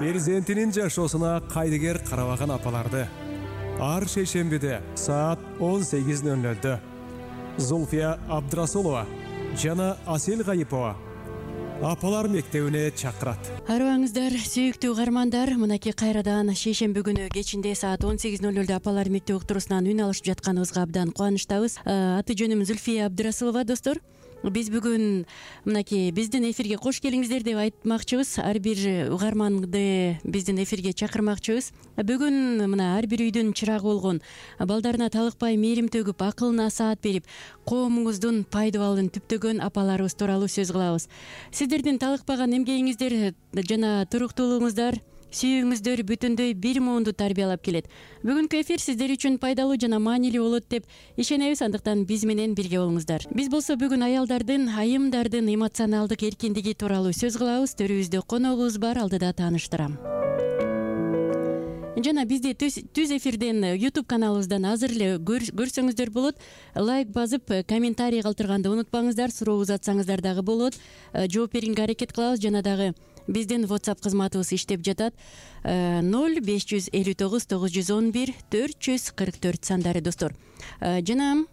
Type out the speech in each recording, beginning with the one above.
перзентинин жашоосуна кайдыгер карабаган апаларды ар шейшембиде саат 18:00 Зульфия Абдрасулова жана Асел Гайипова апалар мектебине чакырат. Арыбаңыздар, сүйүктүү угармандар, мынакей кайрадан шейшемби күнү кечинде саат 18:00 апалар мектеби уктуруусунан үн алышып жатканыбызга абдан кубанычтабыз. Аты жөнүм Зульфия Абдрасулова, достор. Биз бүгүн мынакей биздин эфирге кош келиңиздер деп айтмакчыбыз. Ар бир угарманды биздин эфирге чакырмакчыбыз. Бүгүн мына ар бир үйдүн чырагы болгон, балдарына талыкпай мээрим төгүп, акылына саат берип, коомуңуздун пайдабалын түптөгөн апаларыбыз тууралуу сөз кылабыз. Сиздердин талыкпаган эмгегиңиздер жана туруктуулугуңуздар, сүйүүңүздөр бүтүндөй бир муунду тарбиялап келет. Бүгүнкү эфир сиздер үчүн пайдалуу жана маанилүү болот деп ишенебиз. Андыктан биз менен бирге болуңуздар. Биз болсо бүгүн аялдардын, айымдардын эмоционалдык эркиндиги тууралуу сөз кылабыз. Төрүбүздө коногубуз бар, алдыда тааныштырам. Жана бизди түз эфирден YouTube каналыбыздан азыр эле көрсөңүздөр болот. Лайк басып, комментарий калтырганды унутпаңыздар. Суроо узатсаңыздар дагы болот. Жооп берүүгө аракет кылабыз. Жана дагы биздин WhatsApp кызматыбыз иштеп жатат. 0559 911 444 сандары, достор. Жана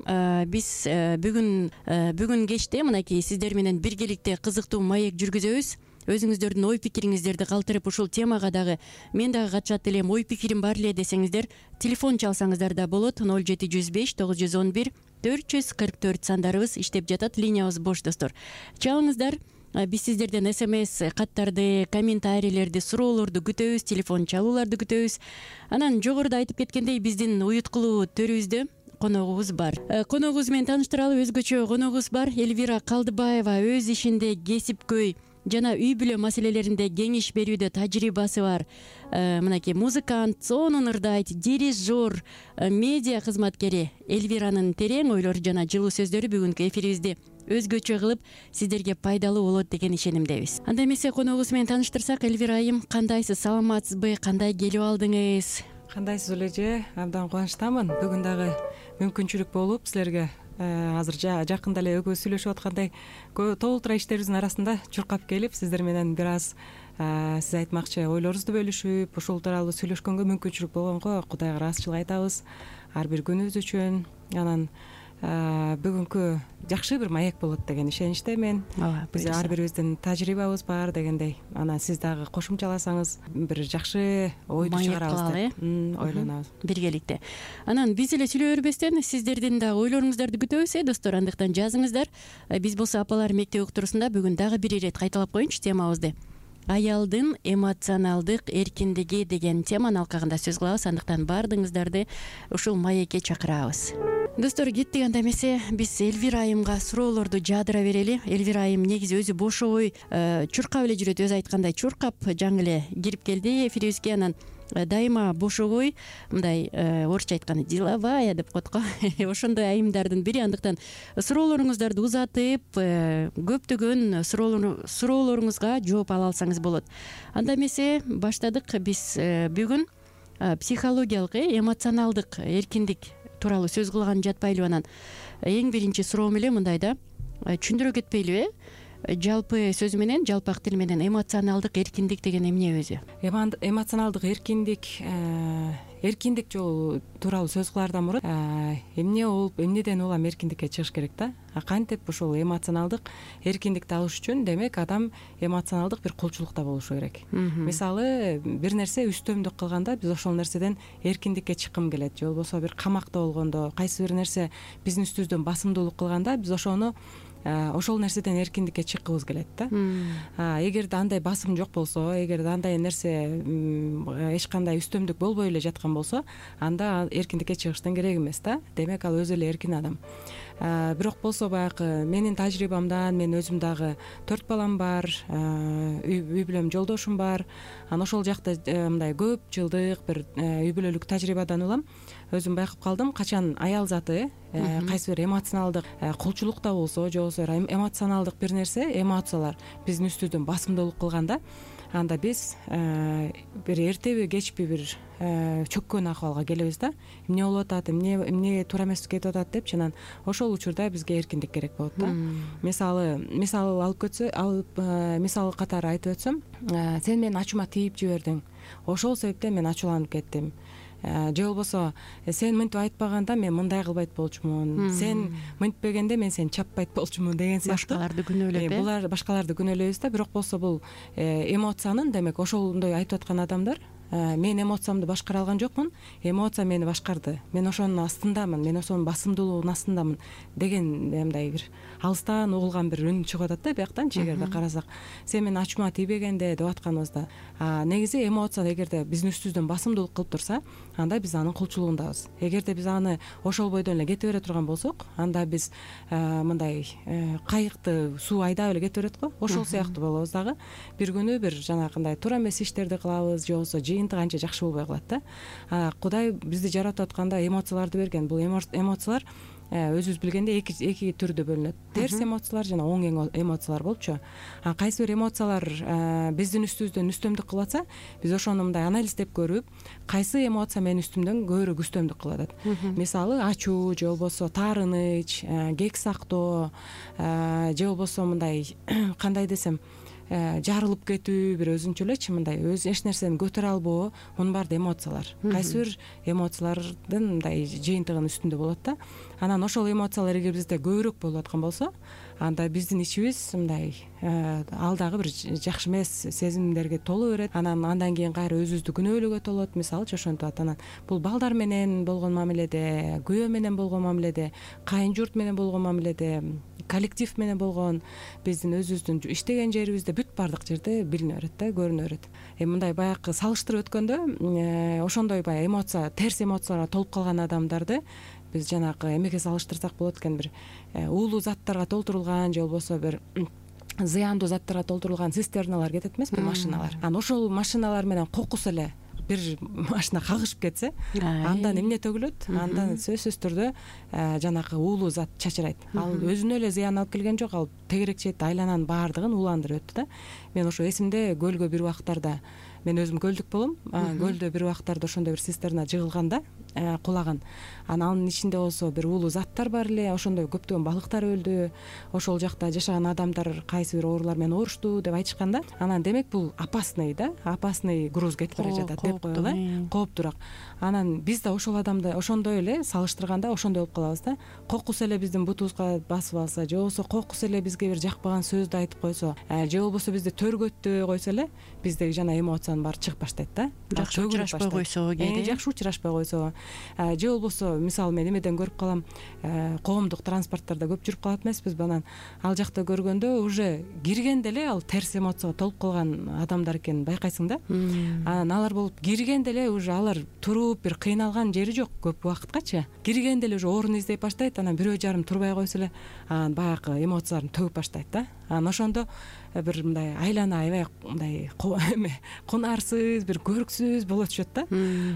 биз бүгүн кечте мынакей сиздер менен биргеликте кызыктуу маек жүргүзөбүз. Өзүңүздөрдүн ой пикириңиздерди калтырып, ушул темага дагы мен дагы катышат элем, ой пикирим бар эле десеңиздер, телефон чалсаңыздар да болот. 0705 911 444 сандарыбыз иштеп жатат. Линиябыз бош, достор. Чалыңыздар. Биз сиздерден СМС каттарды, комментарийлерди, суроолорду күтөбүз, телефон чалууларды күтөбүз. Анан жогоруда айтып кеткендей, биздин уюткулуу төрүбүздө коногубуз бар. Коногубуз менен тааныштыралы. Өзгөчө коногубуз бар. Элвира Калдыбаева өз ишинде кесипкөй жана үй бүлө маселелеринде кеңеш берүүдө тажрыйбасы бар. Мынакей музыкант, сонун ырдайт, дирижер, медиа кызматкери Элвиранын терең ойлору жана жылуу сөздөрү бүгүнкү эфирибизди өзгөчө кылып, сиздерге пайдалуу болот деген ишенимдебиз. Анда эмесе коногубуз менен тааныштырсак, Элвира айым, кандайсыз, саламатсызбы, кандай келип алдыңыз? Кандайсыз Улеже? Абдан кубанычтамын. Бүгүн дагы мүмкүнчүлүк болуп, силерге азыр жакында эле экөөбүз сүйлөшүп аткандай толтура иштерибиздин арасында чуркап келип, сиздер менен бир аз сиз айтмакчы ойлорубузду бөлүшүп, ушул тууралуу сүйлөшкөнгө мүмкүнчүлүк болгонго Кудайга ыраазычылык айтабыз ар бир күнүбүз үчүн. Анан бүгүнкү жакшы бир маек болот деген ишеничтемин. Биз ар бирибиздин тажрыйбабыз бар дегендей. Анан сиз дагы кошумчаласаңыз бир жакшы ойду чыгарабыз деп ойлонобуз биргеликте. Анан биз эле сүйлөй бербестен сиздердин дагы ойлоруңуздарды күтөбүз, достор. Андыктан жазыңыздар. Биз болсо апалар мектеби уктуруусунда бүгүн дагы бир ирет кайталап коеюнчу темабызды. Аялдын эмоционалдык эркиндиги деген теманын алкагында сөз кылабыз. Андыктан баардыгыңыздарды ушул маекке чакырабыз. Достор, кеттик. Анда эмесе биз Элвира айымга суроолорду жаадыра берели. Элвира айым негизи өзү бошобой чуркап эле жүрөт. Өзү айткандай чуркап жаңы эле кирип келди эфирибизге. Анан дайыма бошобой, мындай орусча айтканда деловая деп коет го. Ошондой айымдардын бири. Андыктан суроолоруңуздарды узатып, көптөгөн суроолоруңузга жооп ала алсаңыз болот. Анда эмесе баштадык. Биз бүгүн психологиялык, эмоционалдык эркиндик тууралуу сөз кылган жатпайлыбы? Анан эң биринчи суроом эле мындай да, түшүндүрө кетпейлиби? Жалпы сөз менен, жалпак тил менен эмоционалдык эркиндик деген эмне өзү? Эмоционалдык эркиндик жолу тууралуу сөз кылаардан мурун эмне болуп, эмнеден улам эркиндикке чыгыш керек да? Кантип ушул эмоционалдык эркиндикти алыш үчүн, демек, адам эмоционалдык бир кулчулукта болушу керек. Мисалы, бир нерсе үстөмдүк кылганда биз ошол нерседен эркиндикке чыккым келет, же болбосо бир камакта болгондо, кайсы бир нерсе биздин үстүбүздөн басымдуулук кылганда биз ошол нерседен эркиндикке чыккыбыз келет да. Эгерде андай басым жок болсо, эгерде андай нерсе эч кандай үстөмдүк болбой эле жаткан болсо, анда эркиндикке чыгыштын кереги эмес да. Демек, ал өзү эле эркин адам. Бирок болсо баягы менин тажрыйбамдан, мен өзүм дагы 4 балам бар, үй бүлөм жолдошум бар. Анан ошол жакта мындай көп жылдык бир үй бүлөлүк тажрыйбадан улам өзүм байкап калдым, качан аял заты кайсы бир эмоционалдык кулчулукта болсо, же болбосо эмоционалдык бир нерсе, эмоциялар биздин үстүбүздөн басымдуулук кылганда, анда биз бир эртеби кечпи бир чөккөн акыбалга келебиз да, эмне болуп атат, эмне туура эмес кетип атат депчи. Анан ошол учурда бизге эркиндик керек болот да. Мисал алып мисал катары айтып өтсөм, сен менин ачуума тийип жибердиң, ошол себептен мен ачууланып кеттим. Же болбосо сен мынтип айтпаганда мен мындай кылбайт болчумун, сен мынтпегенде мен сени чаппайт болчумун деген сыяктуу. Башкаларды күнөөлөп, булар башкаларды күнөөлөйбүз да. Бирок болсо бул эмоциянын, демек ошондой айтып аткан адамдар, мен эмоциямды башкара алган жокмун, эмоция мени башкарды, мен ошонун астындамын, мен ошонун басымдуулугунун астындамын деген мындай бир алыстан угулган бир үн чыгып атат да бияктанчы. Эгерде карасак, сен менин ачуума тийбегенде деп атканыбызда, негизи эмоция эгерде биздин үстүбүздөн басымдуулук кылып турса, анда биз анын кулчулугундабыз. Эгерде биз аны ошол бойдон эле кете бере турган болсок, анда биз мындай кайыкты суу айдап эле кете берет го, ошол сыяктуу болобуз дагы. Бир күнү бир жанагындай туура эмес иштерди кылабыз, же болбосо жыйынтык анча жакшы болбой калат да. Кудай бизди жаратып атканда эмоцияларды берген. Бул эмоциялар өзүбүз билгендей эки түрдө бөлүнөт. Терс эмоциялар жана оң эмоциялар болупчу. Кайсы бир эмоциялар биздин үстүбүздөн үстөмдүк кылып атса, биз ошону мындай анализдеп көрүп, кайсы эмоция менин үстүмдөн көбүрөөк үстөмдүк кылып атат. Мисалы ачуу, же болбосо таарыныч, кек сактоо, же болбосо мындай кандай десем, жарылып кетүү, бир өзүнчө элечи мындай эч нерсени көтөрө албоо, мунун баары да эмоциялар. Кайсы бир эмоциялардын мындай жыйынтыгынын үстүндө болот да. Анан ошол эмоциялар эгер бизде көбүрөөк болуп аткан болсо, анда биздин ичибиз мындай ал дагы бир жакшы эмес сезимдерге толо берет. Андан кийин кайра өзүбүздү күнөөлөөгө толот. Мисалычы ошентип атат. Анан бул балдар менен болгон мамиледе, күйөө менен болгон мамиледе, кайын журт менен болгон мамиледе, коллектив менен болгон биздин өзүбүздүн иштеген жерибизде бүт баардык жерде билине берет да, көрүнө берет. Мындай баягы салыштырып өткөндө, ошондой баягы эмоция, терс эмоцияларга толуп калган адамдарды биз жанагы эмеге салыштырсак болот экен, бир уулуу заттарга толтурулган, же болбосо бир зыяндуу заттарга толтурулган цистерналар кетет эмеспи, машиналар. Анан ошол машиналар менен кокус эле бир машина кагышып кетсе, андан эмне төгүлөт? Андан сөзсүз түрдө жанагы уулуу зат чачырайт. Ал өзүнө эле зыян алып келген жок, ал тегерекчейт, айлананын баардыгын ууландырып өттү да. Мен ошо эсимде, көлгө бир убактарда, мен өзүм көлдүк болом, көлдө бир убактарда ошондой бир цистерна жыгылганда, кулаган. Анын ичинде болсо бир уулуу заттар бар эле, ошондой көптөгөн балыктар өлдү, ошол жакта жашаган адамдар кайсы бир оорулар менен оорушту деп айтышканда, анан демек бул опасный да, опасный груз кетип бара жатат деп коелу, кооптуураак. Анан биз да ошол адамды ошондой эле салыштырганда ошондой болуп калабыз да. Кокус эле биздин бутубузга басып алса, же болбосо кокус эле бизге бир жакпаган сөздү айтып койсо, же болбосо бизди төргөттөй койсо эле, биздеги жана эмоциянын баары чыгып баштайт да. Жакшы учурашпай койсо, жакшы учурашпай койсо, же болбосо мисалы мен эмеден көрүп калам, коомдук транспорттарда көп жүрүп калат эмеспизби, анан ал жакта көргөндө уже киргенде эле ал терс эмоцияга толуп калган адамдар экенин байкайсың да. Анан алар болуп киргенде эле уже алар туруп бир кыйналган жери жок көп убакыткачы. Киргенде эле уже орун издеп баштайт, анан бирөө жарым турбай койсо эле анан баягы эмоцияларын төгүп баштайт да. Анан ошондо бир мындай айлана аябай мындай кунарсыз, бир көрксүз боло түшөт да.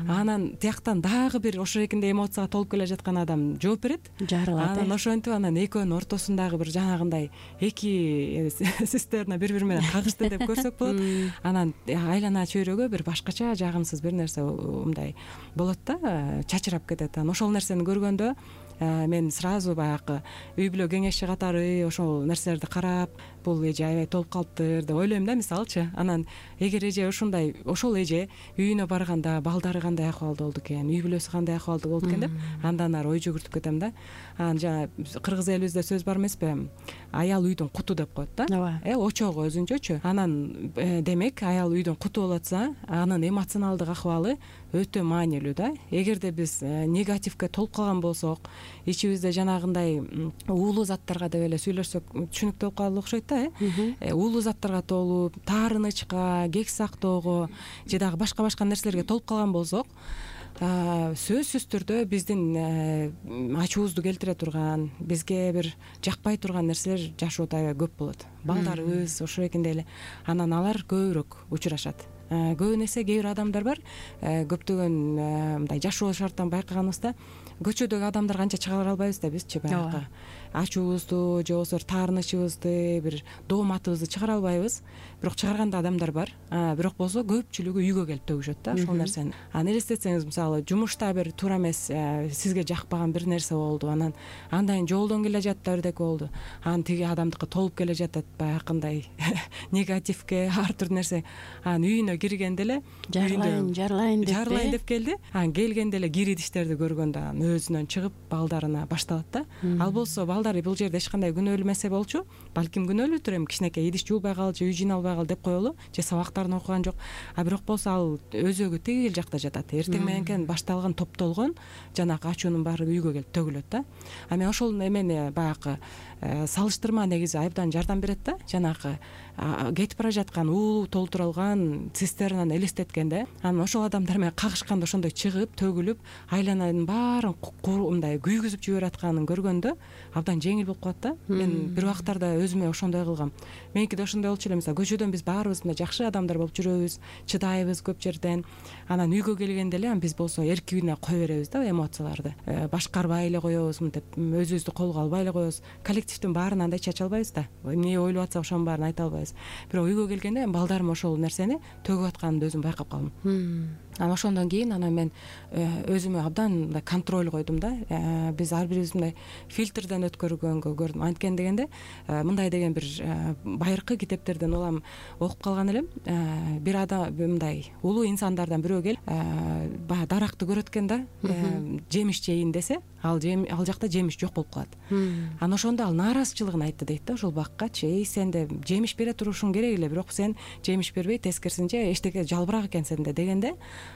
Анан тияктан дагы бир ошоекинде эмоцияга толуп келе жаткан адам жооп берет, жарылат. Анан ошентип анан экөөнүн ортосундагы бир жанагындай эки цистерна бири менен кагышты деп көрсөк болот. Анан айлана чөйрөгө бир башкача жагымсыз бир нерсе мындай болот да, чачырап кетет. Анан ошол нерсени көргөндө мен сразу баягы үй бүлө кеңешчи катары ошол нерселерди карап, бул эже аябай толуп калыптыр деп ойлойм да, мисалычы. Анан эгер эже ушундай, ошол эже үйүнө барганда балдары кандай акыбалда болду экен, үй бүлөсү кандай акыбалда болду экен деп, андан ары ой жүгүртүп кетем да. Анан жана кыргыз элибизде сөз бар эмеспи, аял үйдүн куту деп коет да. Очогу өзүнчөчү. Анан демек аял үйдүн куту болуп атса, анын эмоционалдык акыбалы өтө маанилүү да. Эгерде биз негативге толуп калган болсок, ичибизде жанагындай уулуу заттарга деп эле сүйлөшсөк түшүнүктүү болуп калат окшойт да. Уулуу заттарга толуп, таарынычка, кек сактоого же дагы башка нерселерге толуп калган болсок, сөзсүз түрдө биздин ачуубузду келтире турган, бизге бир жакпай турган нерселер жашоодо аябай көп болот. Балдарыбыз ошоекинде эле. Анан алар көбүрөөк учурашат. көбүн эсе кээ бир адамдар бар, көптөгөн мындай жашоо шарттан байкаганыбызда көчөдөгү адамдар канча чыгара албайбыз да бизчи баягы ачуубузду же болбосо таарынычыбызды, бир дооматыбызды чыгара албайбыз. Бирок чыгарган адамдар бар. Бирок болсо көпчүлүгү үйгө келип төгүшөт да ошол нерсени. Элестетсеңиз, мисалы жумушта бир туура эмес, сизге жакпаган бир нерсе болду, анан андан жолдон келе жатты бирдеке болду, анан тиги адамдыкы толуп келе жатат баягындай негативге ар түрдүү нерсе. Анан үйүнө киргенде эле жарлайын деп келди. Анан келгенде эле кир идиштерди көргөндө өзүнөн чыгып балдарына башталат да. Ал болсо балдар бул жерде эч кандай күнөөлүү эмес болчу. Балким күнөөлүүдүр, эми кичинекей идиш жуубай калды же үй жыйналбай калды деп коелу, же сабактарын окуган жок. Бирок болсо ал өзөгү тигил жакта жатат. Эртең мененкен башталган топтолгон жанагы ачуунун баары үйгө келип төгүлөт да. Мен ошол эмени баягы салыштырма негизи абдан жардам берет да. Жанагы кетип бара жаткан уулуу толтурулган цистернаны элестеткенде, анан ошол адамдар менен кагышканда ошондой чыгып төгүлүп айлананын баарын мындай күйгүзүп жиберип атканын көргөндө абдан жеңил болуп калат да. Мен бир убактарда өзүмө ошондой кылгам. Меники да ошондой болчу эле. Мисалы көчөдөн биз баарыбыз мындай жакшы адамдар болуп жүрөбүз, чыдайбыз көп жерден. Анан үйгө келгенде эле биз болсо эркигине кое беребиз да эмоцияларды. Башкарбай эле коебуз, мынтип өзүбүздү колго албай эле коебуз. Коллективдин баарын андай чача албайбыз да. Эмне ойлоп атса ошонун баарын айта албайбыз. Бирок үйгө келгенде балдарым ошол нерсени төгүп атканымды өзүм байкап калдым. Анан ошондон кийин мен өзүмө абдан мындай контроль койдум да. Биз ар бирибиз мындай фильтрден өткөргөнгө көрдүм. Анткени дегенде мындай деген бир байыркы китептерден улам окуп калган элем. Бир адам мындай улуу инсандардан бирөө келип баягы даракты көрөт экен да, жемиш жейин десе, ал жакта жемиш жок болуп калат. Анан ошондо ал нааразычылыгын айтты дейт да ошол баккачы. Сен да жемиш бере турушуң керек эле, бирок сен жемиш бербей тескерисинче эчтеке жалбырак экенсиң да дегенде,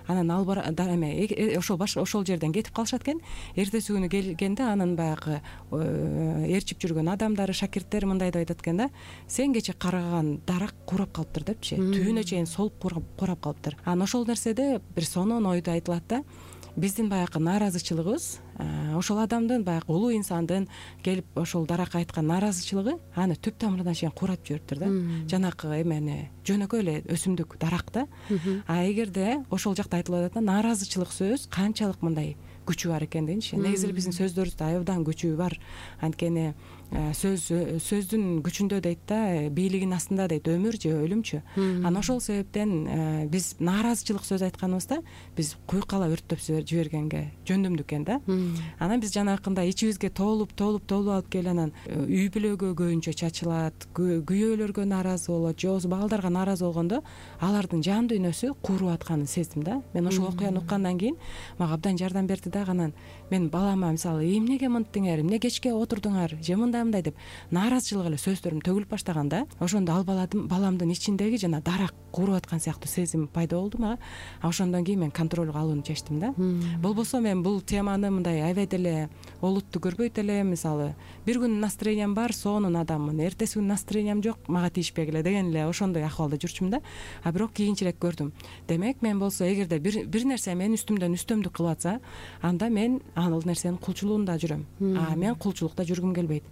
анан ал ошол жерден кетип калышат экен. Эртеси күнү келгенде анын баягы ээрчип жүргөн адамдары, шакирттери мындай деп айтат экен да: сен кече караган дарак курап калыптыр депчи, түбүнө чейин солуп курап калыптыр. Анан ошол нерседе бир сонун ойду айтылат да. Биздин баягы нааразычылыгыбыз, ошол адамдын баягы улуу инсандын келип ошол даракка айткан нааразычылыгы аны түп тамырынан чейин куурап жибериптир да. Жанакы эмени жөнөкөй эле өсүмдүк, дарак да. Эгерде ошол жакта айтылып атат да, нааразычылык сөз канчалык мындай күчү бар экендигинчи. Негизи эле биздин сөздөрүбүздө абдан күчү бар. Анткени сөздүн күчүндө дейт да, бийлигинин астында дейт, өмүр же өлүмчү. Анан ошол себептен биз нааразычылык сөз айтканыбызда биз куйкала өрттөп жибергенге жөндөмдүү экен да. Анан биз жанакындай ичибизге толуп алып келип анан үй бүлөгө көбүнчө чачылат, күйөөлөргө нааразы болот, же болбосо балдарга нааразы болгондо алардын жан дүйнөсү кууруп атканын сездим да. Мен ошол окуяны уккандан кийин мага абдан жардам берди да. Анан мен балама мисалы эмнеге мынттиңер, эмне кечке отурдуңар, же мындай деп нааразычылык эле сөздөрүм төгүлүп баштаганда, ошондо ал баламдын ичиндеги жана дарак кууруп аткан сыяктуу сезим пайда болду мага. Ошондон кийин мен контролго алууну чечтим да. Болбосо мен бул теманы мындай аябай деле олуттуу көрбөйт элем. Мисалы бир күн настроениям бар, сонун адаммын, эртеси күн настроениям жок, мага тийишпегиле деген эле ошондой акыбалда жүрчүмүн да. Бирок кийинчерээк көрдүм. Демек мен болсо эгерде бир нерсе менин үстүмдөн үстөмдүк кылып атса, анда мен ал нерсенин кулчулуунда жүрөм. Мен кулчулукта жүргүм келбейт.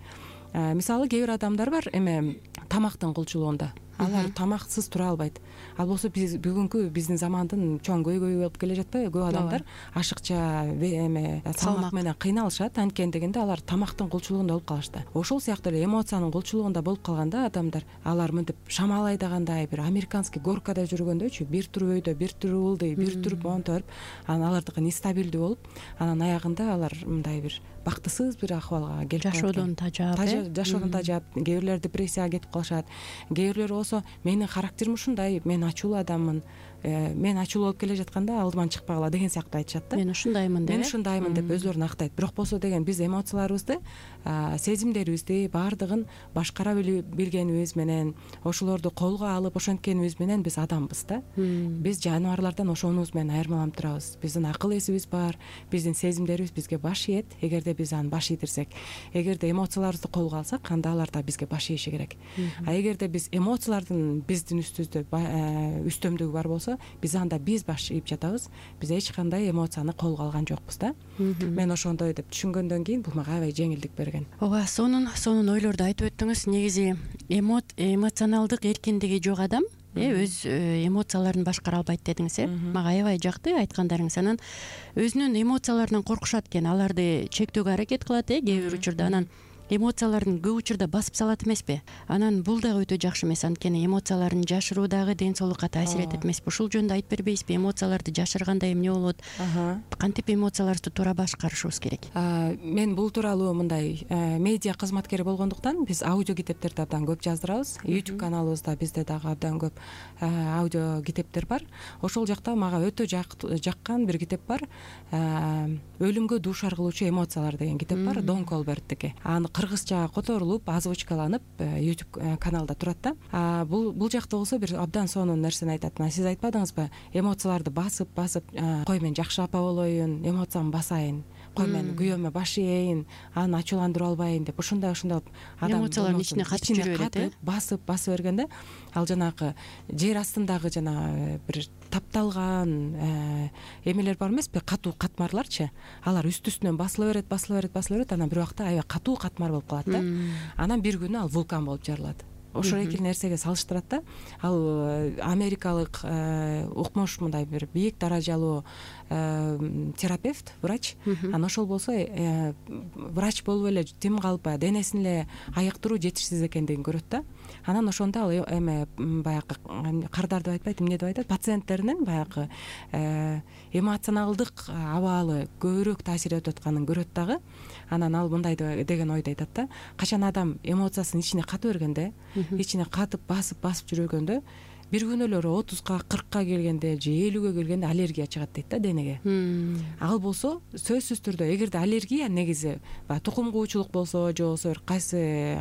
Мисалы кээ бир адамдар бар эме тамактын кулчулуунда. Алар тамаксыз тура албайт. Ал болсо бүгүнкү биздин замандын чоң көйгөйү болуп келе жатпайбы? Көп адамдар ашыкча эме салмак менен кыйналышат. Анткени дегенде алар тамактын кулчулугунда болуп калышты. Ошол сыяктуу эле эмоциянын кулчулугунда болуп калганда адамдар, алар мынтип шамал айдагандай, бир американский горкада жүргөндөчү, бир тур өйдө, бир тур ылдый, бир тур монторуп, анан алардыкы нестабилдүү болуп, анан аягында алар мындай бир бактысыз бир акыбалга келип калат. Жашоодон тажап, кээ бирлер депрессияга кетип калышат. Кээ бирлер болсо менин характерим ушундай, мен ачуулуу адаммын, мен ачуулуу болуп келе жатканда алдыман чыкпагыла деген сыяктуу айтышат да. Мен ушундаймын деп өзлөрүн актайт. Бирок болсо деген биз эмоцияларыбызды, сезимдерибизди баардыгын башкара билгенибиз менен, ошолорду колго алып ошенткенибиз менен биз адамбыз да. Биз жаныбарлардан ошонубуз менен айырмаланып турабыз. Биздин акыл эсибиз бар, биздин сезимдерибиз бизге баш ийет. Эгерде биз аны баш ийдирсек, эгерде эмоцияларыбызды колго алсак, анда алар да бизге баш ийиши керек. Эгерде биз эмоциялардын биздин үстүбүздө үстөмдүгү бар болсо, биз анда баш ийип жатабыз. Биз эч кандай эмоцияны колго алган жокпуз да. Мен ошондой деп түшүнгөндөн кийин бул мага аябай жеңилдик берген. Ооба, сонун ойлорду айтып өттүңүз. Негизи эмоционалдык эркиндиги жок адам өз эмоцияларын башкара албайт дедиңиз. Мага аябай жакты айткандарыңыз. Анан өзүнүн эмоцияларынан коркушат экен, аларды чектөөгө аракет кылат кээ бир учурда. Анан эмоцияларын көп учурда басып салат эмеспи? Анан бул дагы өтө жакшы эмес, анткени эмоцияларын жашыруу дагы ден соолукка таасир этет эмеспи? Ушул жөнүндө айтып бербейсизби? Эмоцияларды жашырганда эмне болот? Кантип эмоцияларыбызды туура башкарышыбыз керек? Мен бул тууралуу мындай медиа кызматкери болгондуктан биз аудио китептерди абдан көп жаздырабыз. YouTube каналыбызда бизде дагы абдан көп аудио китептер бар. Ошол жакта мага өтө жаккан бир китеп бар. Өлүмгө дуушар кылуучу эмоциялар деген китеп бар, Дон Колберттики. Аны кыргызча которулуп, озвучкаланып YouTube каналда турат да. Бул жакта болсо бир абдан сонун нерсени айтат. Сиз айтпадыңызбы? Эмоцияларды басып кой мен жакшы апа болоюн, эмоциямды басайын, кой мен күйөөмө баш ийейин, аны ачууландыра албайын деп ушундай адам эмоциялардын ичине катып жүрө берет, басып бергенде ал жанагы жер астындагы жана бир тапталган эмелер бар эмеспи, катуу катмарларчы, алар үстүнөн басыла берет, анан бир убакта аябай катуу катмар болуп калат да. Анан бир күнү ал вулкан болуп жарылат. Ошол эки нерсеге салыштырат да. Ал америкалык укмуш мындай бир бийик даражалуу терапевт, врач. Анан ошол болсо врач болуп эле тим калып денесин эле айыктыруу жетишсиз экендигин көрөт да. Анан ошондо ал эме баягы кардар деп айтпайт, эмне деп айтат, пациенттеринин баягы эмоционалдык абалы көбүрөөк таасир этип атканын көрөт дагы. Анан ал мындай деген ойду айтат да. Качан адам эмоциясын ичине ката бергенде, ичине катып басып жүргөндө, бир күнөлөрү 30-ка 40-ка келгенде же 50-ге келгенде аллергия чыгат дейт да денеге. Ал болсо сөзсүз түрдө эгерде аллергия негизи тукум куучулук болсо, же болсо бир кайсы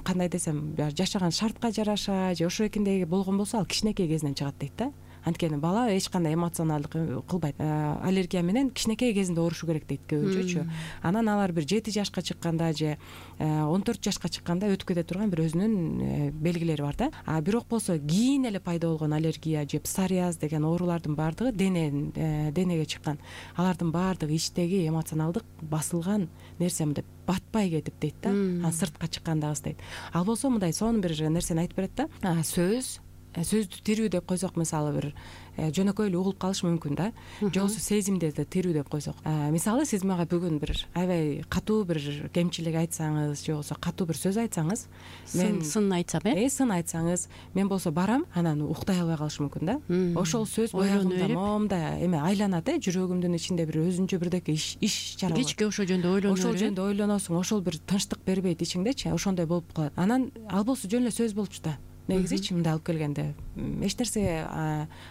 кандай десем жашаган шартка жараша же ошо экендеги болгон болсо ал кичинекей кезинен чыгат дейт да. Анткени бала эч кандай эмоционалдык кылбайт. Аллергия менен кичинекей кезинде оорушу керек дейт көбүнчөчү. Анан алар бир 7 жашка чыкканда же 14 жашка чыкканда өтүп кете турган бир өзүнүн белгилери бар да. Бирок болсо кийин эле пайда болгон аллергия же псориаз деген оорулардын баардыгы денеге чыккан. Алардын баардыгы ичтеги эмоционалдык басылган нерсе мындай батпай кетип дейт да. Анан сыртка чыккандагы дейт. Ал болсо мындай сонун бир нерсени айтып берет да. Сөздү тирүү деп койсок, мисалы бир жөнөкөй эле угулуп калышы мүмкүн да. Же болбосо сезимдерди тирүү деп койсок. Мисалы сиз мага бүгүн бир аябай катуу бир кемчилик айтсаңыз, же болбосо катуу бир сөз айтсаңыз, мен сын айтсам, сын айтсаңыз, мен болсо барам, анан уктай албай калышы мүмкүн да. Ошол сөз боягымда момундай эме айланат, жүрөгүмдүн ичинде бир өзүнчө бирдеке иш чара. Кечке ошол жөнүндө ойлоносуң, ошол бир тынчтык бербейт ичиңдечи, ошондой болуп калат. Анан ал болсо жөн эле сөз болчу да. Негизичи мындай алып келгенде эч нерсе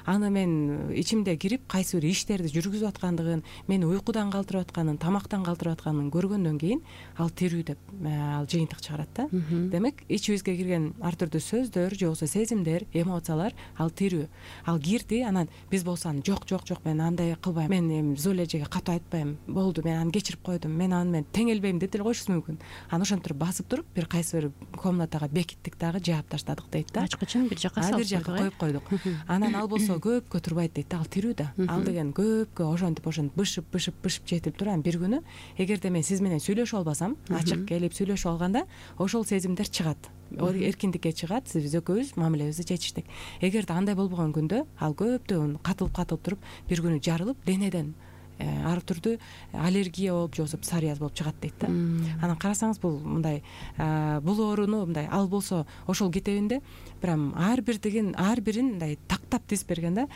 аны мен ичимде кирип кайсы бир иштерди жүргүзүп аткандыгын, мени уйкудан калтырып атканын, тамактан калтырып атканын көргөндөн кийин ал тирүү деп ал жыйынтык чыгарат да. Демек ичибизге кирген ар түрдүү сөздөр же болбосо сезимдер, эмоциялар ал тирүү. Ал кирди, анан биз болсо жок мен андай кылбайм, мен эми Золя эжеге катуу айтпайм, болду, мен аны кечирип койдум, мен аны мен теңелбейм деп деле коюшубуз мүмкүн. Анан ошентип басып туруп бир кайсы бир комнатага бекиттик дагы, жаап таштадык дейт да. Ачкычын бир жакка салып бир жакка коюп койдук. Анан ал болсо көпкө турбайт дейт да, ал тирүү да. Ал деген көпкө ошентип бышып жетип туран бир күнү, эгерде мен сиз менен сүйлөшө албасам, ачык келип сүйлөшүп алганда, ошол сезимдер чыгат. Эркиндикке чыгат, биз экөөбүз мамилебизди чечиштик. Эгерде андай болбогон күндө ал көптөн катылып туруп бир күнү жарылып, денеден ар түрдүү аллергия болуп, же болбосо псориаз болуп чыгат дейт да. Анан карасаңыз бул мындай бул ооруну мындай ал болсо ошол китебинде прям ар бирин мындай тактап тизип берген да.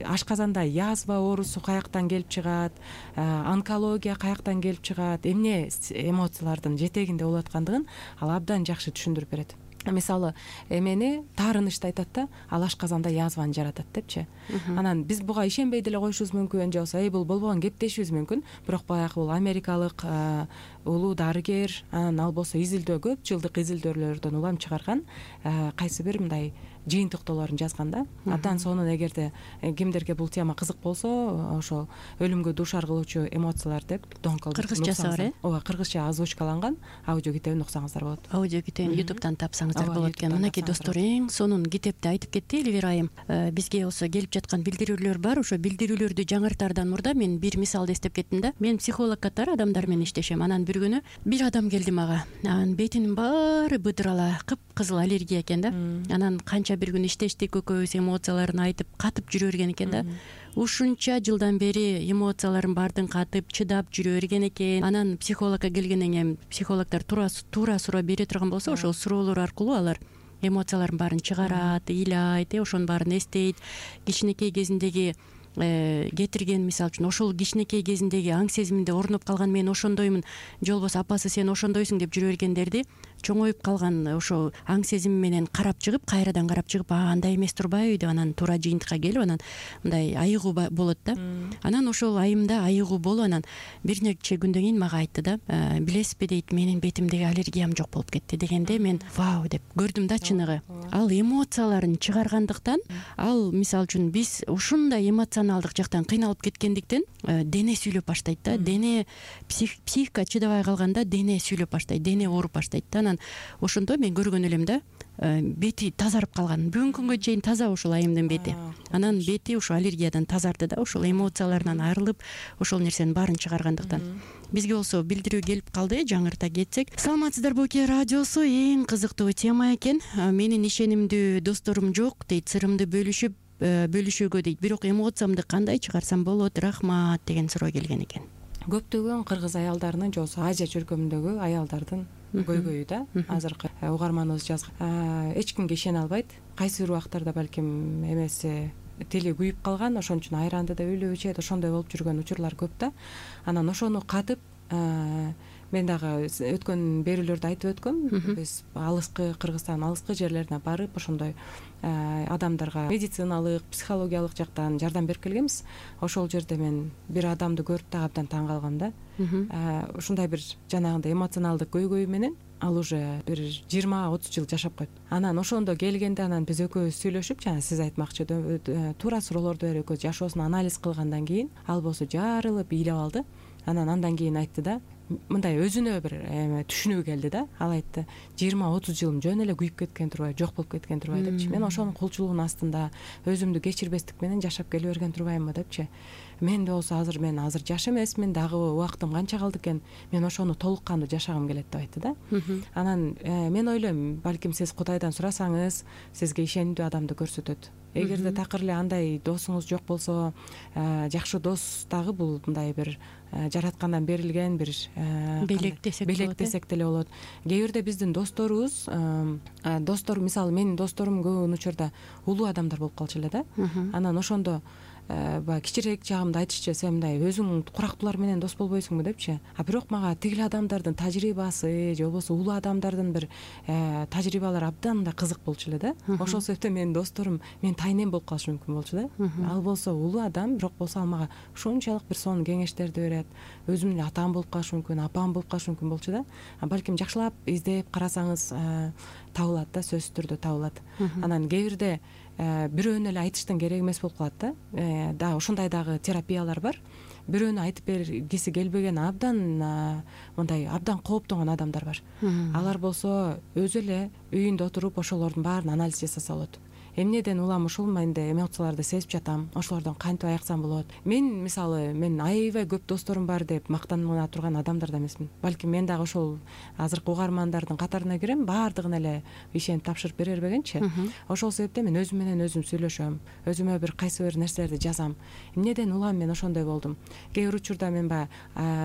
Ашказанда язва оорусу каяктан келип чыгат, онкология каяктан келип чыгат, эмне эмоциялардын жетегинде болуп аткандыгын ал абдан жакшы түшүндүрүп берет. Мисалы эмени таарынычты айтат да, ал ашказанда язваны жаратат депчи. Анан биз буга ишенбей деле коюшубуз мүмкүн, же болбосо бул болбогон кеп дешибиз мүмкүн. Бирок баягы бул америкалык улуу дарыгер, анан ал болсо изилдөө, көп жылдык изилдөөлөрдөн улам чыгарган кайсы бир мындай жыйынтыктоолорун жазган да. Абдан сонун, эгерде кимдерге бул тема кызык болсо, ошол өлүмгө дуушар кылуучу эмоциялар деп Дон Колберт кыргызчасы бар, ооба, кыргызча озвучкаланган аудио китебин уксаңыздар болот. Аудио китебин YouTube'дан тапсаңыздар болот экен. Мынакей достор, эң сонун китепти айтып кетти Элвира айым. Бизге болсо келип жаткан билдирүүлөр бар. Ошо билдирүүлөрдү жаңыртаардан мурда мен бир мисалды эстеп кеттим да. Мен психолог катары адамдар менен иштешем. Анан бир күнү бир адам келди мага. Анын бетинин баары быдырала, кыпкызыл аллергия экен да. Анан канча кача бир күн иштештик экөөбүз, эмоцияларын айтып катып жүрө берген экен да. Ушунча жылдан бери эмоцияларын баардыгын катып чыдап жүрө берген экен. Анан психологко келгенден кийин психологдор туура суроо бере турган болсо, ошол суроолор аркылуу алар эмоцияларын баарын чыгарат, ыйлайт, ошонун баарын эстейт. Кичинекей кезиндеги кетирген, мисалы үчүн ошол кичинекей кезиндеги аң сезиминде орноп калган мен ошондоймун, же болбосо апасы сен ошондойсуң деп жүрө бергендерди чоңоюп калган ошол аң сезими менен карап чыгып, кайрадан карап чыгып, андай эмес турбайбы деп анан туура жыйынтыкка келип анан мындай айыгуу болот да. Анан ошол айымда айыгуу болуп анан бир нече күндөн кийин мага айтты да, билесизби дейт, менин бетимдеги аллергиям жок болуп кетти дегенде мен вау деп көрдүм да. Чыныгы ал эмоцияларын чыгаргандыктан, ал мисалы үчүн биз ушундай эмоционалдык жактан кыйналып кеткендиктен дене сүйлөп баштайт да. Дене психика чыдабай калганда дене сүйлөп баштайт, дене ооруп баштайт да. Анан ошондо мен көргөн элем да, бети тазарып калган. Бүгүнкү күнгө чейин таза ушул айымдын бети. Анан бети ушул аллергиядан тазарды да, ушул эмоцияларынан арылып, ошол нерсенин баарын чыгаргандыктан. Бизге болсо билдирүү келип калды, жаңырта кетсек. Саламатсыздарбы Оке радиосу, эң кызыктуу тема экен. Менин ишенимдүү досторум жок дейт, сырымды бөлүшүүгө дейт. Бирок эмоциямды кандай чыгарсам болот? Рахмат деген суроо келген экен. Көптөгөн кыргыз аялдарынын же болбосо Азия чөлкөмүндөгү аялдардын көйгөйү да. Азыркы угарманыбыз жазган. Эч кимге ишене албайт. Кайсы бир убактарда балким эмеси тили күйүп калган, ошон үчүн айранды да үйлөп ичет, ошондой болуп жүргөн учурлар көп да. Анан ошону катып, мен дагы өткөн берүүлөрдө айтып өткөм, биз алыскы Кыргызстан алыскы жерлерине барып ошондой адамдарга медициналык, психологиялык жактан жардам берип келгенбиз. Ошол жерде мен бир адамды көрүп да абдан таң калгам да. Ушундай бир жанагындай эмоционалдык көйгөй менен ал уже бир 20-30 жыл жашап койт. Анан ошондо келгенде анан биз экөөбүз сүйлөшүп, жана сиз айтмакчы туура суроолорду берип экөөбүз жашоосун анализ кылгандан кийин ал болсо жарылып ыйлап алды. Андан кийин айтты да, мындай өзүнө бир түшүнүү келди да. Ал айтты, 20-30 жылым жөн эле күйүп кеткен турбайбы, жок болуп кеткен турбайбы депчи. Мен ошонун кулчулугунун астында өзүмдү кечирбестик менен жашап келе берген турбаймынбы депчи. Мен болсо мен азыр жаш эмесмин, дагы убактым канча калды экен, мен ошону толук кандуу жашагым келет деп айтты да. Анан мен ойлойм, балким сиз Кудайдан сурасаңыз, сизге ишенимдүү адамды көрсөтөт. Эгерде такыр эле андай досуңуз жок болсо, жакшы дос дагы бул мындай бир жараткандан берилген бир белек десек деле болот. Кээ бирде биздин досторубуз, мисалы менин досторум көп учурда улуу адамдар болуп калчу эле да. Анан ошондо баягы кичирээк жагымда айтышчу, сен мындай өзүң курактуулар менен дос болбойсуңбу депчи. Бирок мага тигил адамдардын тажрыйбасы же болбосо улуу адамдардын бир тажрыйбалары абдан да кызык болчу эле да. Ошол себептен менин досторум менин тайнем болуп калышы мүмкүн болчу да. Ал болсо улуу адам, бирок болсо ал мага ушунчалык бир сонун кеңештерди берет. Өзүм эле атам болуп калышы мүмкүн, апам болуп калышы мүмкүн болчу да. Балким жакшылап издеп карасаңыз табылат да, сөзсүз түрдө табылат. Анан кээ бирде бирөөнү эле айтыштын кереги эмес болуп калат да. Дагы ошондой дагы терапиялар бар. Бирөөнү айтып бергиси келбеген мындай абдан кооптонгон адамдар бар. Алар болсо өзү эле үйүндө отуруп ошолордун баарын анализ жасаса болот. Эмнеден улам ушул менде эмоцияларды сезип жатам, ошолордон кантип аяксам болот. Мен мисалы аябай көп досторум бар деп мактана турган адамдар да эмесмин. Балким мен дагы ошол азыркы угармандардын катарына кирем, баардыгын эле ишенип тапшырып бере бербегенчи. Ошол себептен мен өзүм менен өзүм сүйлөшөм, өзүмө бир кайсы бир нерселерди жазам. Эмнеден улам мен ошондой болдум. Кээ бир учурда мен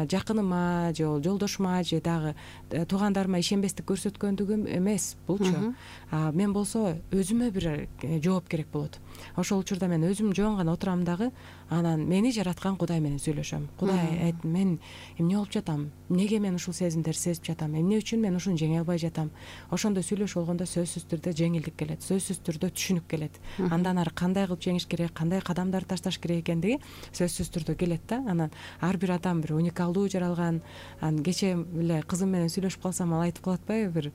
жакыныма же жолдошума же дагы туугандарыма ишенбестик көрсөткөндүгүм эмес булчу. Мен болсо өзүмө бир жооп керек болот. Ошол учурда мен өзүм жоон гана отурам дагы, анан мени жараткан Кудай менен сүйлөшөм. Кудай, мен эмне болуп жатам? Эмнеге мен ушул сезимдерди сезип жатам? Эмне үчүн мен ушуну жеңе албай жатам? Ошондо сүйлөшүп болгондо сөзсүз түрдө жеңилдик келет, сөзсүз түрдө түшүнүк келет. Андан ары кандай кылып жеңиш керек, кандай кадамдарды ташташ керек экендиги сөзсүз түрдө келет да. Анан ар бир адам бир уникалдуу жаралган. Кечээ эле кызым менен сүйлөшүп калсам, ал айтып калат бир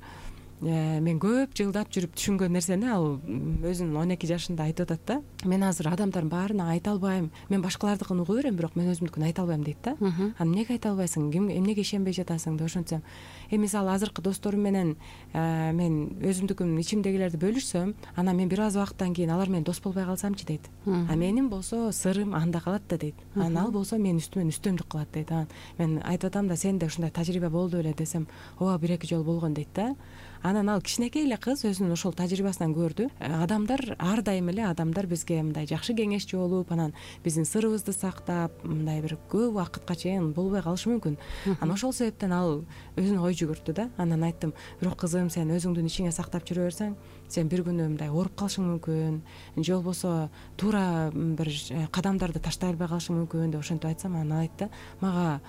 мен көп жылдап жүрүп түшүнгөн нерсени ал өзүнүн 12 жашында айтып атат да. Мен азыр адамдардын баарына айта албайм. Мен башкалардыкын угуп берем, бирок мен өзүмдүкүн айта албайм дейт да. Эмнеге айта албайсың? Эмнеге ишенбей жатасың деп ошентсем. Мисалы азыркы досторум менен мен өзүмдүкүн ичимдегилерди бөлүшсөм, анан мен бир аз убакыттан кийин алар менен дос болбой калсамчы дейт. Менин болсо сырым анда калат да дейт. Анан ал болсо менин үстүмөн үстөмдүк кылат дейт. Мен айтып атам да, сенде ушундай тажрыйба болду беле десем, ооба 1-2 жолу болгон дейт да. анан ал кичинекей эле кыз өзүнүн ошол тажрыйбасынан көрдү, адамдар ар дайым эле адамдар бизге мындай жакшы кеңешчи болуп, анан биздин сырыбызды сактап, мындай бир көп убакытка чейин болбой калышы мүмкүн. Анан ошол себептен ал өзүнө ой жүгүрттү да. Анан айттым, бирок кызым, сен өзүңдүн ичиңе сактап жүрө берсең, сен бир күнү мындай ооруп калышың мүмкүн, же болбосо туура бир кадамдарды таштай албай калышың мүмкүн деп ошентип айтсам, анан ал айтты, мага